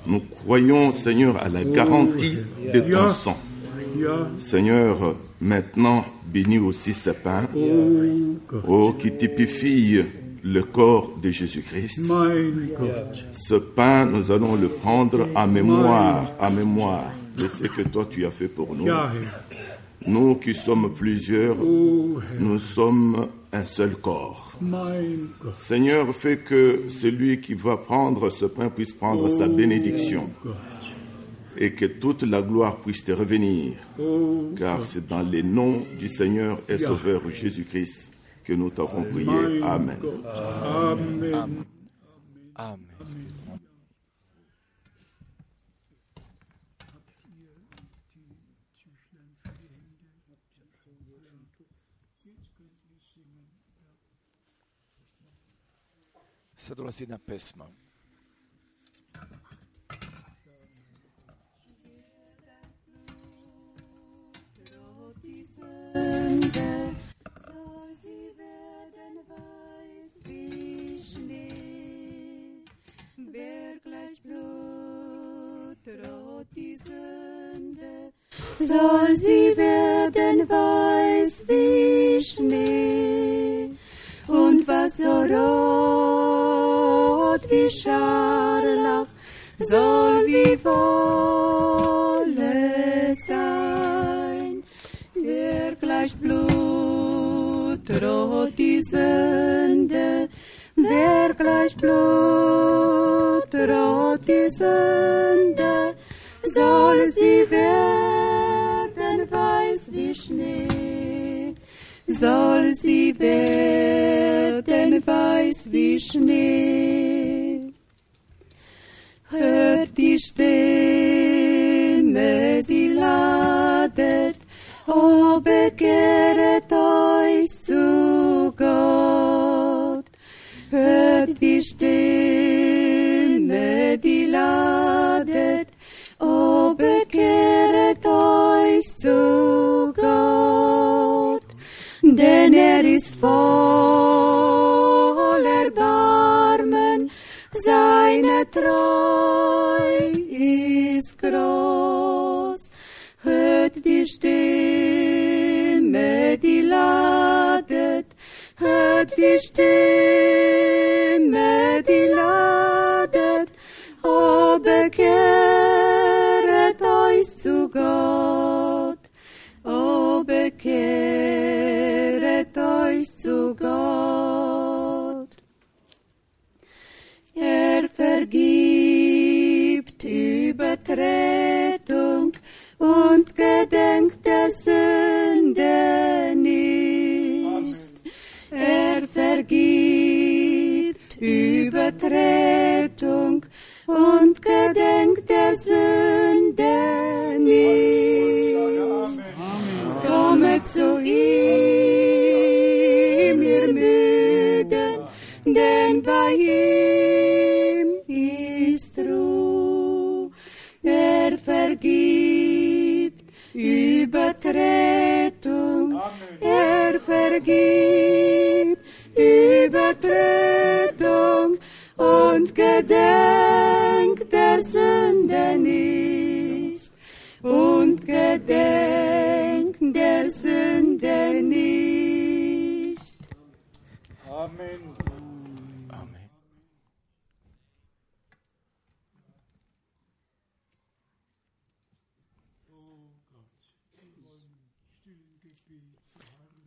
Nous croyons, Seigneur, à la garantie de ton sang. Seigneur, maintenant, bénis aussi ce pain, qui typifie le corps de Jésus-Christ. Ce pain, nous allons le prendre en mémoire de ce que toi tu as fait pour nous. Nous qui sommes plusieurs, nous sommes un seul corps. Seigneur, fais que celui qui va prendre ce pain puisse prendre sa bénédiction et que toute la gloire puisse te revenir, car c'est dans le nom du Seigneur et Sauveur Jésus-Christ que nous t'avons prié. Amen. Amen. Amen. Sad dolazi jedna pesma. Soll sie werden weiß weiß wie Schnee und was so rot wie Scharlach soll wie Wolle sein. Der gleich blutrot die Sünde, der gleich blutrot die Sünde, soll sie werden weiß wie Schnee, soll sie werden weiß wie Schnee. Hört die Stimme, sie ladet, o bekehret euch zu Gott. Hört die Stimme, die ladet, o bekehret euch zu Gott. Denn ist voll Erbarmen, seine Treu ist groß. Hört die Stimme, die ladet, hört die Stimme, die ladet, o bekehret euch zu Gott, o bekehret euch zu Gott. Vergibt Übertretung und gedenkt der Sünde nicht. Vergibt Übertretung und gedenkt der Sünde nicht. Kommet zu ihm, ihr Müden, denn bei ihm ist Ruhe. Vergibt Übertretung, vergibt Übertretung und gedenkt der Sünde nicht, und gedenkt der Sünde nicht. Amen. Amen.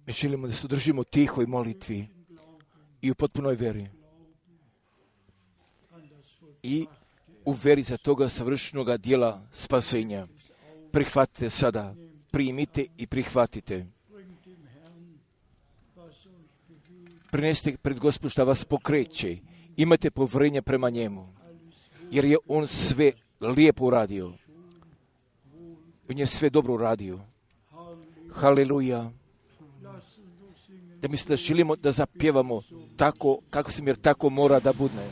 Mi želimo da se držimo tihoj molitvi i u potpunoj veri. I u veri za toga savršenoga dijela spasenja. Prihvatite sada, primite i prihvatite. Prinesite pred Gospod šta vas pokreće. Imate povjerenje prema njemu. Jer je on sve lijepo uradio. On je sve dobro uradio. Haleluja. Da mislim da želimo da zapjevamo tako, kako se mir tako mora da bude.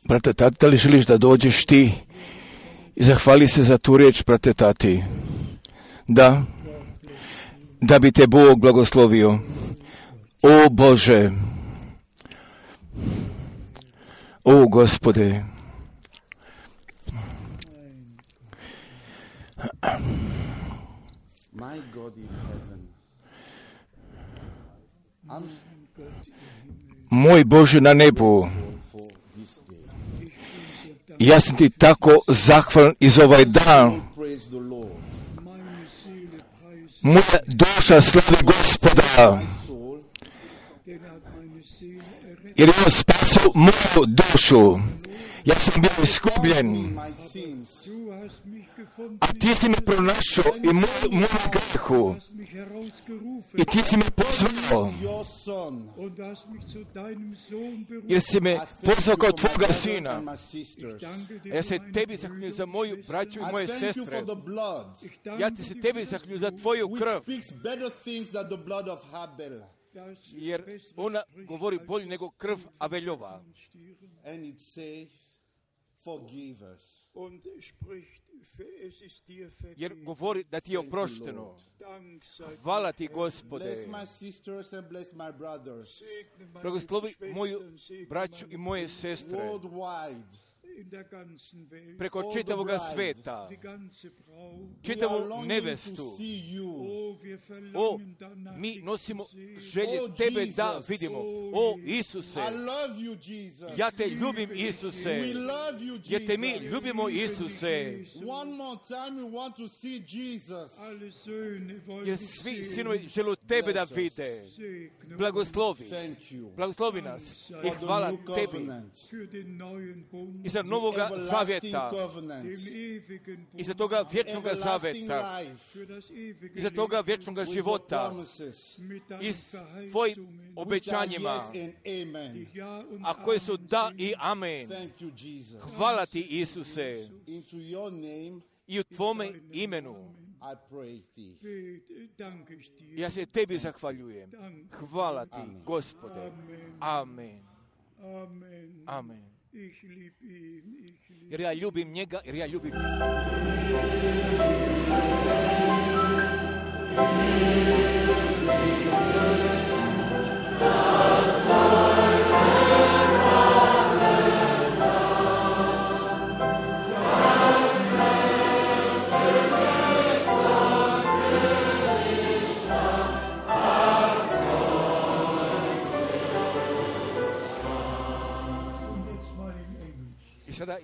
Brate Tati, da li želiš da dođeš ti i zahvali se za tu riječ, brate Tati? Da. Da bi te Bog blagoslovio. O Bože. O Gospode. Moj Bože na nebu, ja sam ti tako zahvalan iz ovaj dan. Moja duša slavi Gospoda, jer je on spasio moju dušu. Ja sam bio iskupljen, a ti si me pronašao i moju grehu. I ti si me pozvao, jer si me pozvao kao tvoga sina. Ja se tebi zahvaljujem za moju braću i moje sestre. Ja ti se tebi zahvaljujem za tvoju krv, jer ona govori bolje nego krv Aveljova. Jer govori da ti je oprošteno. Hvala ti, Gospode. Blagoslovi moju braću i moje sestre preko čitavoga sveta, čitavu nevestu. O, mi nosimo želje tebe da vidimo. O, Isuse, ja te ljubim, Isuse, jer te mi ljubimo, Isuse, jer svi sinovi žele tebe da vide. Blagoslovi nas i hvala tebi i za novoga zavjeta, i za toga vječnoga zavjeta, i za toga vječnoga života, i s tvojim obećanjima, a koje su da i amen. Hvala ti, Isuse, i u tvome imenu ja se tebi zahvaljujem. Hvala ti, Gospode. Amen. Amen. Jer ja ljubim njega, jer ja ljubim I sada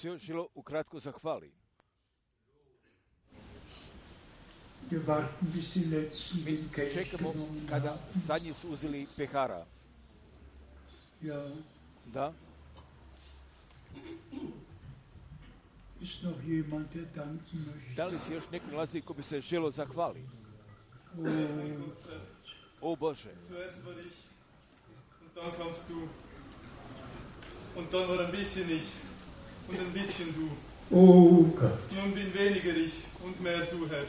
se još želo ukratko zahvali. Čekamo kada zadnji su uzeli pehara. Da? Da li se još neko nalazi ko bi se želo zahvali? O Bože. Und dann war ein bisschen ich und ein bisschen du. Oh Gott. Nun bin weniger ich und mehr du, Herr.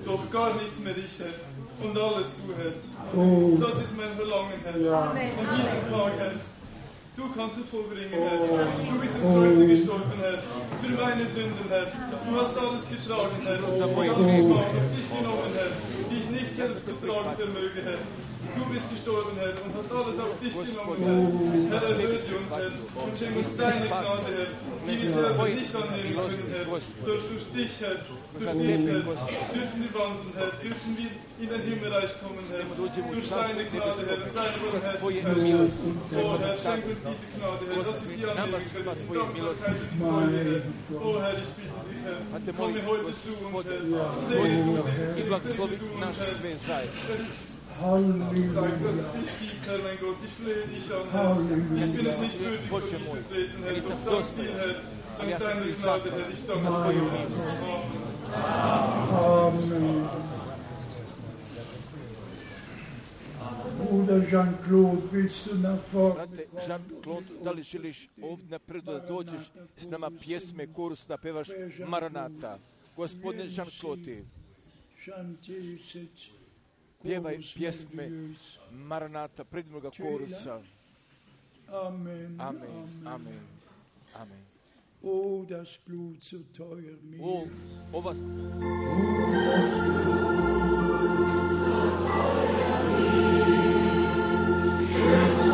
Doch gar nichts mehr ich, Herr, und alles du, Herr. Oh. Das ist mein Verlangen, Herr. Ja. An diesem Tag, Herr. Du kannst es vollbringen, Herr. Du bist am Kreuz gestorben, Herr. Für meine Sünden, Herr. Du hast alles getragen, Herr. Du hast die Schmach auf dich genommen, Herr, die ich nicht selbst zu tragen vermöge, Herr. Du bist gestorben, Herr, und hast alles auf dich genommen, Herr. Herr, erlöse uns, Herr, und schenk uns deine Gnade, Herr, die wir selber nicht annehmen können, Herr. Durch dich, Herr, durch dich, Herr, dürfen wir wandeln, Herr, dürfen wir in dein Himmelreich kommen, Herr, durch deine Gnade, Herr, und deine Barmherzigkeit. Oh, Herr, schenk uns diese Gnade, Herr, dass wir sie annehmen können, in Dankbarkeit und Freude, Herr. Oh, Herr, ich bitte dich, Herr, komme heute zu uns, Herr, segne du uns, Herr. Halleluja. Sag, dass es dich gibt, Herr, mein Gott, ich flehe dich an, Herr. Ich bin es nicht würdig, vor dich zu treten, Herr, doch dank dir, Herr, ali ja sam deine ti Gnade, zahvalan Herr. Ich danke na dir tvoju für milost. Amen. Bruder Jean-Claude, willst du nach vorne Brate Jean-Claude, da li želiš ovdje napred da dođeš s nama pjesme, korus da pevaš Maranata? Gospodine Jean-Claude, pjevaj pjesme Maranata, predivnoga korusa. Amen. Amen, amen, amen. Oh, das Blut so teuer mir. O, ova Schütz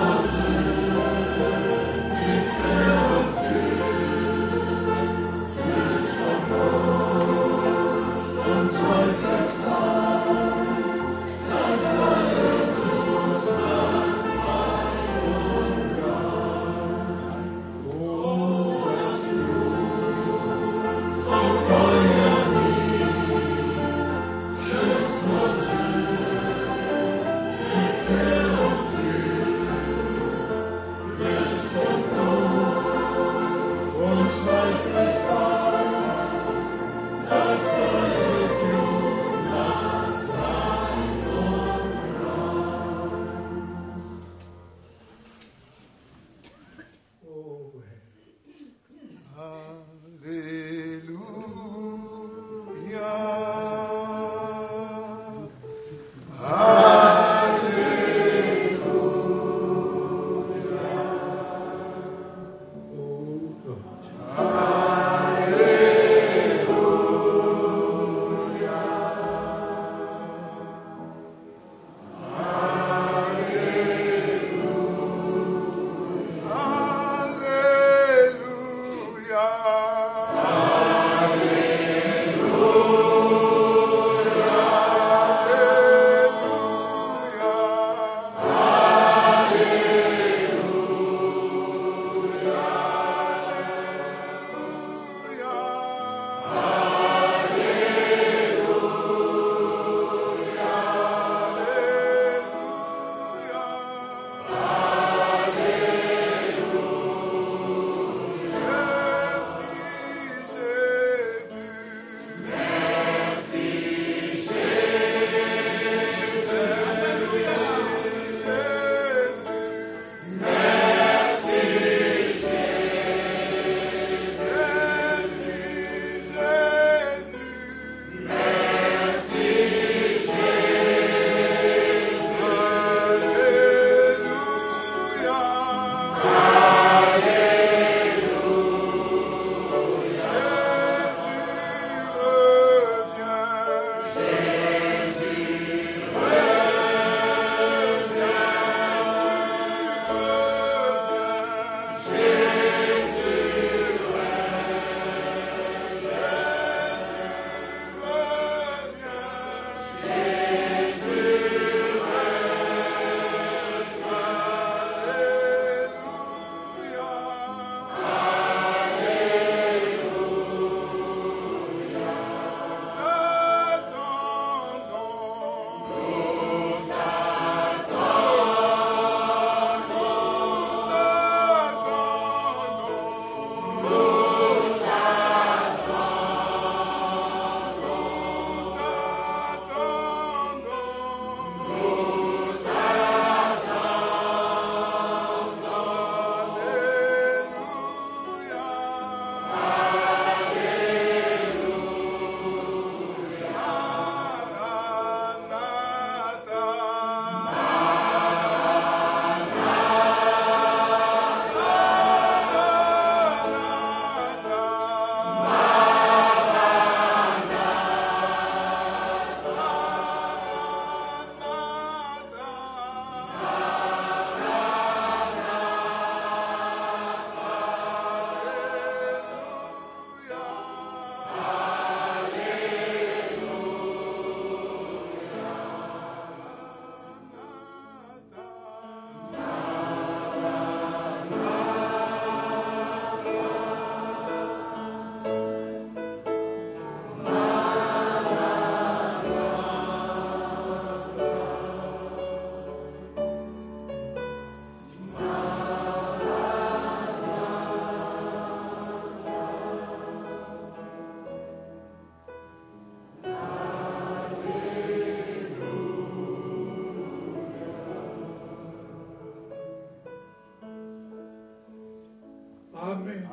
Amen.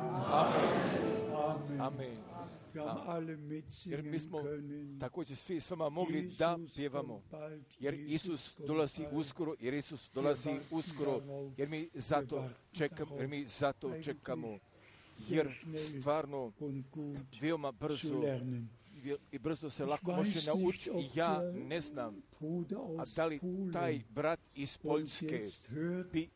Amen. Amen. Wir haben alle Jer mi mitsingen smo können. također svi s vama mogli da pjevamo. Jer Isus dolazi uskoro, jer Isus dolazi uskoro, jer mi zato čekamo, jer mi zato čekamo. Jer stvarno veoma brzo i brzo se lako može naučiti. I ja ne znam, a da li taj brat iz Poljske bi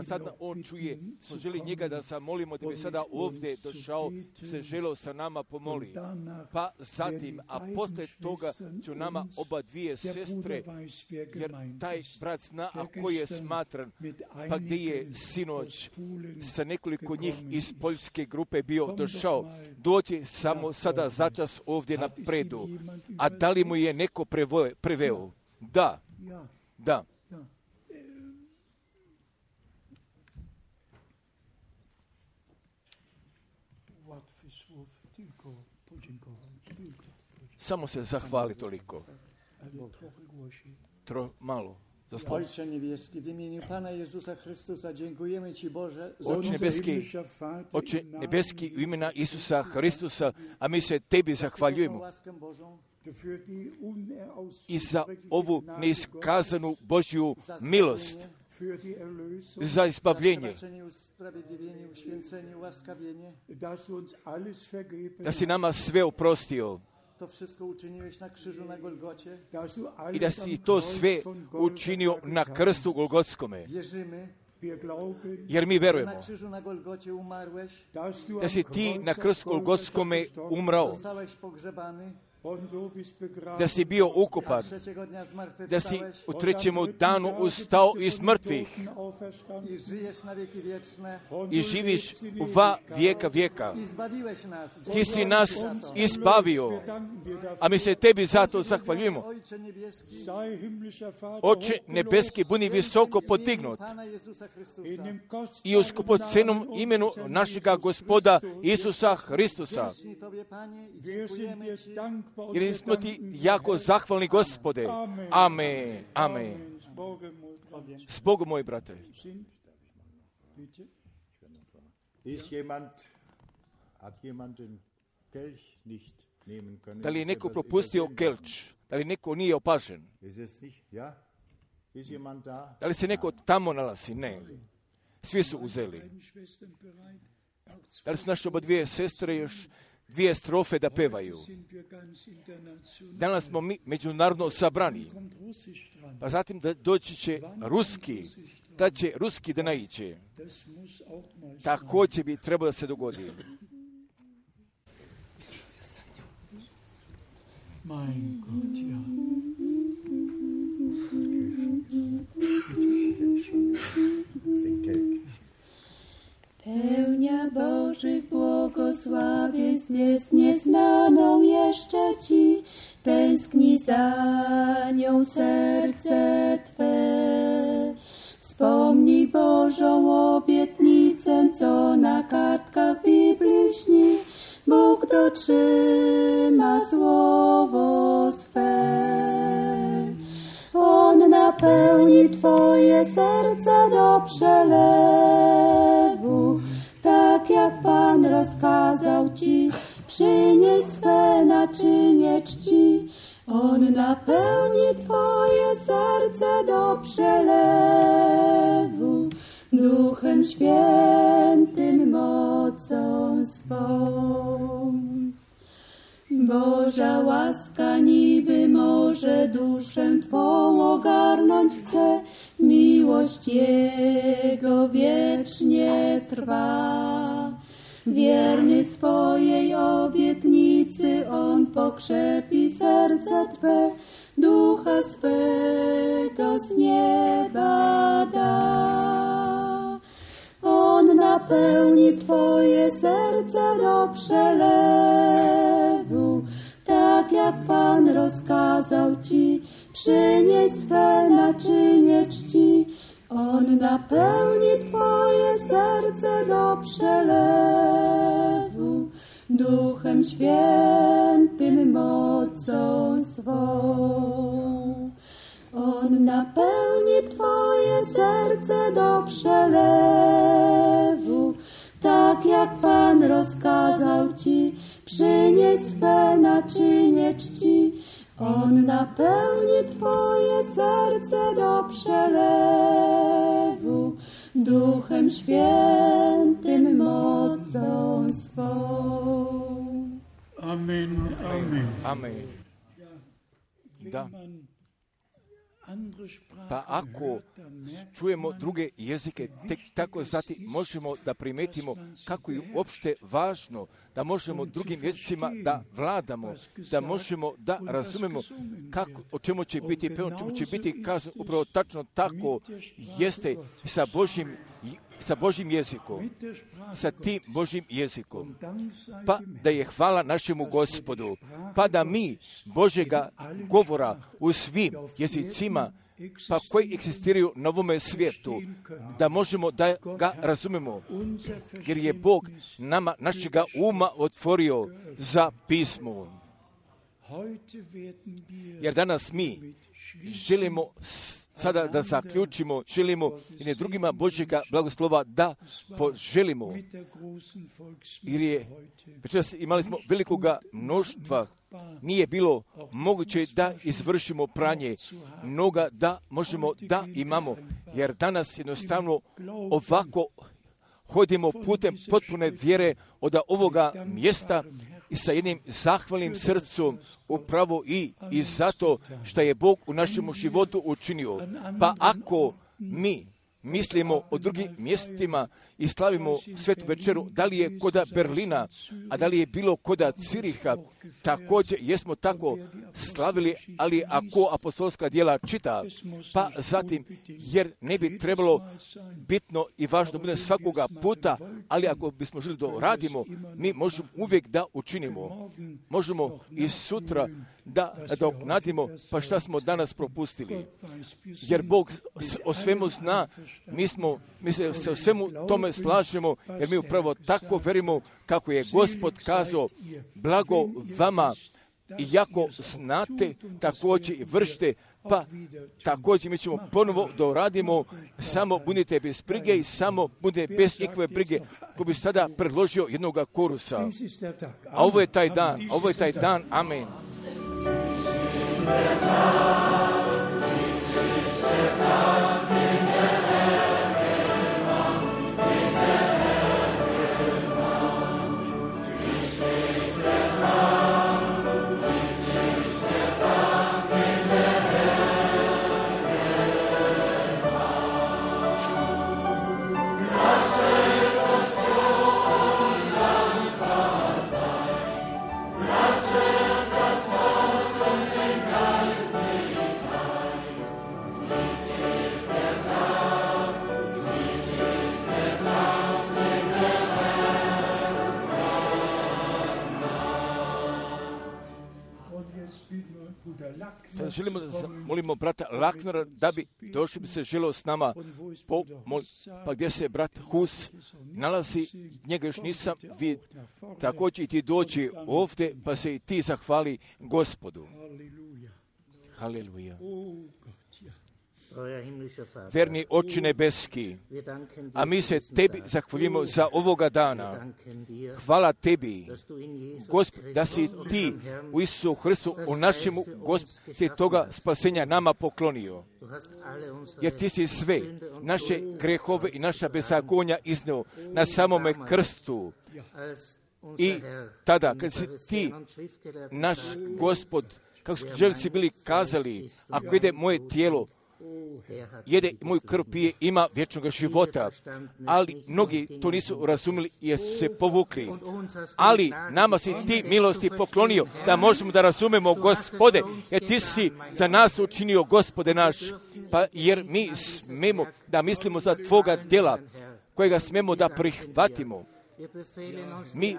sada on čuje, smo želi njega da zamolimo da bi sada ovdje došao, se želeo sa nama pomoli. Pa zatim, a posle toga ću nama oba dvije sestre, jer taj brat zna, a koji je smatran, pa gdje je sinoć sa nekoliko njih iz Poljske grupe bio došao, doći samo sada začas ovdje na predu. A da li mu je neko preveo? Da. Da. Samo se zahvali toliko. Malo. Ojcze niebieski, w imieniu Pana Jezusa Chrystusa dziękujemy Ci, Boże, za Oče nebeski, u imena Isusa Hristusa, a mi se Tebi zahvaljujemo i za ovu neiskazanu Božju milost, za izbavljenje, da si nama sve oprostio i da si to sve učinio na krstu Golgotskome. Jer mi verujemo da si ti na krstu Golgotskome umrao, da si bio ukopan, da si u trećem danu ustao iz mrtvih i živiš u vijeka vijeka. Ti si nas izbavio, a mi se Tebi zato zahvaljujemo. Oče nebeski, budi visoko podignut i u skupocenom imenu našega Gospoda Isusa Hristusa. Jer smo Ti jako zahvalni, Gospode. Amen. Amen. S Bogom, moj brate. Da li je neko propustio kelč? Da li neko nije opažen? Da li se neko tamo nalazi? Ne. Svi su uzeli. Da li su naše oba dvije sestre još dvije strofe da pevaju? Danas smo mi međunarodno sabrani. Pa zatim da doći će ruski, da će ruski da naiće. Također bi trebalo da se dogodi. Mein Gott, ja. Pełnia Bożych błogosławieństw jest nieznaną jeszcze Ci, tęskni za nią serce Twe. Wspomnij Bożą obietnicę, co na kartkach Biblii lśni, Bóg dotrzyma słowo swe. On napełni Twoje serce do przelewu, tak jak Pan rozkazał Ci, przynieś swe naczynie czci. On napełni Twoje serce do przelewu, Duchem Świętym mocą swą. Boża łaska niby może duszę Twą ogarnąć chce, miłość Jego wiecznie trwa. Wierny swojej obietnicy On pokrzepi serce Twe, Ducha swego z nieba da. On napełni Twoje serce do przelewu, tak jak Pan rozkazał Ci, przynieś swe naczynie czci. On napełni Twoje serce do przelewu, Duchem Świętym mocą swą. On napełni Twoje serce do przelewu, rozkazał ci, przynieś swe naczynie czci. On napełni twoje serce do przelewu, Duchem Świętym mocą swą. Amen, amen. Amen. Da. Pa ako čujemo druge jezike, tek tako zatim možemo da primetimo kako je uopšte važno da možemo drugim jezicima da vladamo, da možemo da razumemo kako, o čemu će biti pevno, čemu će biti kazano. Upravo tačno tako jeste sa Božjim jezikom, sa tim Božjim jezikom. Pa da je hvala našemu Gospodu, pa da mi Božjega govora u svim jezicima, pa koji egzistiraju na ovome svijetu, da možemo da ga razumemo, jer je Bog nama našega uma otvorio za pismo. Jer danas mi želimo sada da zaključimo, želimo i ne drugima Božjega blagoslova da poželimo. Jer je, večeras imali smo velikoga mnoštva, nije bilo moguće da izvršimo pranje, mnoga da možemo da imamo, jer danas jednostavno ovako hodimo putem potpune vjere od ovoga mjesta i sa jednim zahvalnim srcom upravo i zato što je Bog u našem životu učinio. Pa ako mi mislimo o drugim mjestima i slavimo svetu večeru, da li je koda Berlina, a da li je bilo koda Ciriha, također jesmo tako slavili, ali ako apostolska djela čita, pa zatim, jer ne bi trebalo bitno i važno bude svakoga puta, ali ako bismo želi da radimo, mi možemo uvijek da učinimo. Možemo i sutra da nadimo, pa šta smo danas propustili. Jer Bog o svemu zna, mi se o svemu tome slažemo, jer mi upravo tako verimo kako je Gospod kazao, blago vama, iako znate, također i vršite, pa također mi ćemo ponovo da radimo, samo budite bez brige i samo budite bez ikakve brige, ko bi sada predložio jednoga korusa. A ovo je taj dan, amen. Sad želimo da molimo brata Laknera da bi došli, bi se želeo s nama pa gdje se brat Hus nalazi, njega još nisam vidio, također i ti dođi ovdje pa se i ti zahvali Gospodu. Haleluja. Verni Oče nebeski, a mi se tebi zahvaljujemo za ovoga dana. Hvala tebi, Gospod, da si ti u Isusu Hristu, u našemu Gospod, si toga spasenja nama poklonio. Jer ti si sve naše grehove i naša bezagonja izneo na samome krstu. I tada, kad si ti, naš Gospod, kako si bili kazali, ako ide moje tijelo, jede moju krv pije, ima vječnog života. Ali mnogi to nisu razumjeli jer su se povukli. Ali nama si ti milosti poklonio da možemo da razumemo, Gospode, jer ti si za nas učinio, Gospode naš, pa jer mi smemo da mislimo za tvoga djela kojega smemo da prihvatimo. Mi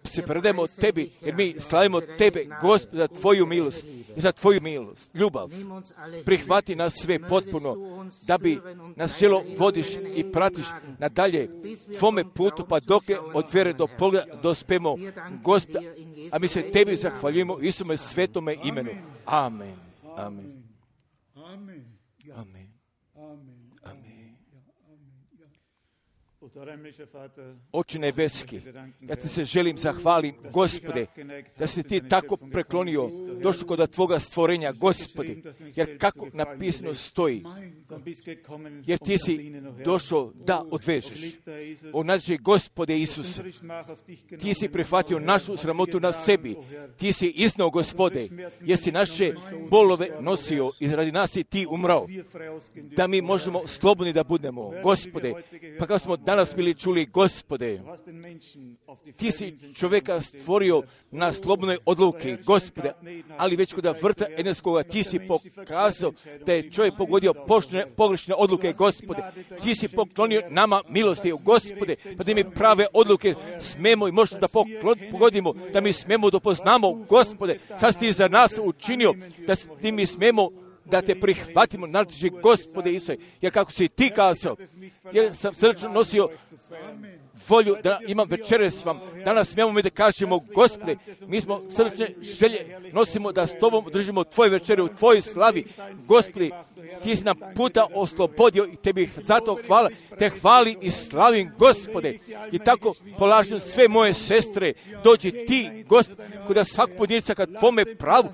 se predajemo tebi, jer mi slavimo tebe, Gospod, za tvoju milost i za tvoju milost, ljubav. Prihvati nas sve potpuno, da bi nas želo vodiš i pratiš nadalje tvome putu, pa dok je od vjere do pogleda dospemo, Gospod, a mi se tebi zahvaljujemo u Isume svetome imenu. Amen. Amen. Amen. Amen. Oče nebeski, ja ti se želim zahvalim, Gospode, da si ti tako preklonio, došao kod Tvoga stvorenja, Gospode, jer kako napisano stoji, jer ti si došao da odvežeš. O naši Gospode Isuse, ti si prihvatio našu sramotu na sebi, ti si iznao, Gospode, jer si naše bolove nosio i radi nas si ti umrao, da mi možemo slobodni da budemo, Gospode, pa kao smo danas bili čuli, Gospode, ti si čovjeka stvorio na slobodnoj odluki, Gospode, ali već kod vrta Edenskoga ti si pokazao da je čovjek pogodio pogrešne odluke, Gospode. Ti si poklonio nama milosti, Gospode, pa da mi prave odluke smemo i možemo da pogodimo, da mi smemo da poznamo, Gospode, šta si ti za nas učinio, da ti mi smemo da te prihvatimo, naši Gospode Isuse, jer kako si ti kazao, jer sam srčno nosio volju da imam večere s vam. Danas smijemo mi da kažemo, Gospode, mi smo srčne želje, nosimo da s Tobom držimo Tvoje večere u Tvojoj slavi. Gospode, ti si nam puta oslobodio i Tebi zato hvala, te hvalim i slavim, Gospode. I tako polažem sve moje sestre, dođi ti, Gospode, kod svakog pojedinca kad Tvome pravu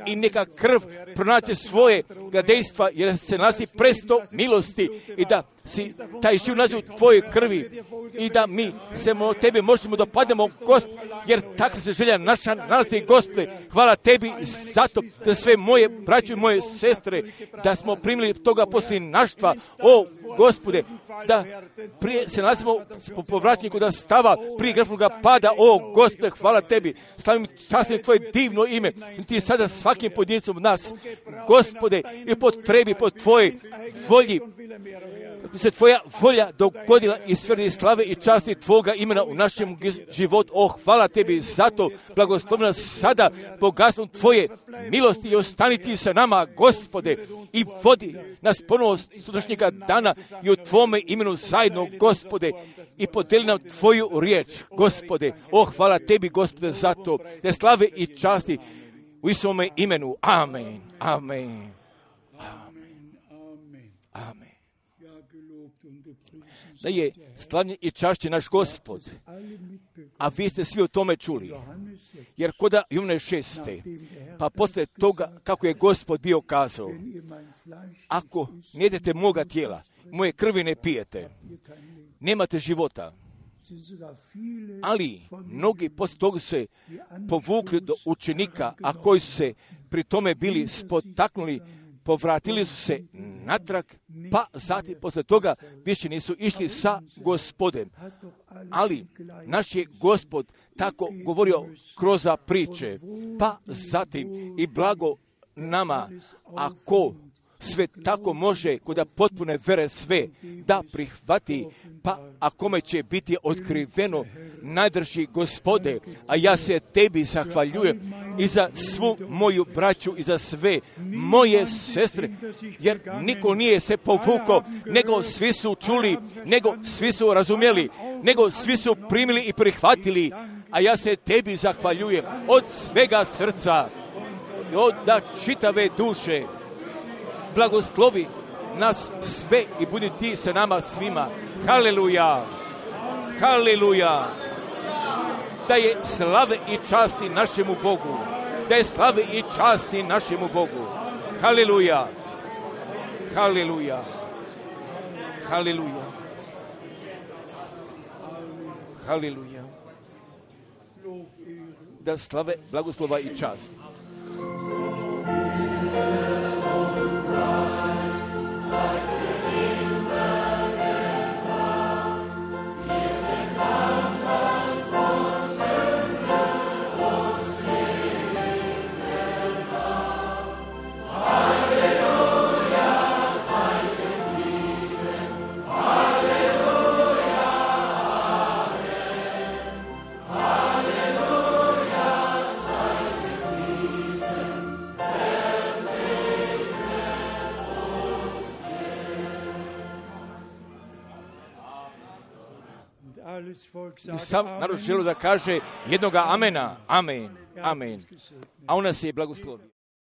i neka krv pronaće svoje dejstva, jer se nalazi presto milosti i da si taj živ naziv u Tvojoj krvi i da mi se Tebe možemo dopadnemo, Gospod, jer takva se želja naša nalazi, Gospode. Hvala Tebi zato za sve moje braće i moje sestre, da smo primili toga posljednaštva, o Gospode, da prije se nalazimo po povraćniku da stava prije grešnoga pada, o Gospode, hvala Tebi, slavim časnim Tvoje divno ime, ti sada svakim pojedincom od nas, Gospode, i potrebi po Tvojoj volji, se Tvoja volja dogodila i svrdi slave i časti Tvoga imena u našem životu. O, hvala Tebi zato, blagoslovna sada bogatstvom Tvoje milosti i ostani Ti sa nama, Gospode, i vodi nas ponovo sutrašnjega dana i u Tvome imenu zajedno, Gospode, i podeli nam Tvoju riječ, Gospode. O, hvala Tebi, Gospode, zato, te slave i časti u Isusovome imenu. Amen. Amen. Amen. Da je slavljen i čašćen naš Gospod, a vi ste svi o tome čuli. Jer koda Jovane 6. pa posle toga kako je Gospod bio kazao, ako ne jedete moga tijela, moje krvi ne pijete, nemate života. Ali mnogi poslije toga se povukli do učenika, a koji su se pri tome bili spotaknuli, povratili su se natrag, pa zatim posle toga više nisu išli sa Gospodem. Ali naš je Gospod tako govorio kroz priče, pa zatim i blago nama, ako sve tako može kod potpune vere sve da prihvati, pa a kome će biti otkriveno najdrži Gospode, a ja se Tebi zahvaljujem i za svu moju braću i za sve moje sestre, jer niko nije se povukao, nego svi su čuli, nego svi su razumjeli, nego svi su primili i prihvatili, a ja se Tebi zahvaljujem od svega srca i od čitave duše. Blagoslovi nas sve i budi Ti sa nama svima. Haleluja! Haleluja! Da je slave i časti našemu Bogu. Da je slave i časti našemu Bogu. Haleluja! Haleluja! Haleluja! Haleluja! Da slave, blagoslova i čast. I sam narod želi da kaže jednoga amena. Amen. Amen. A on nas je blagoslovio.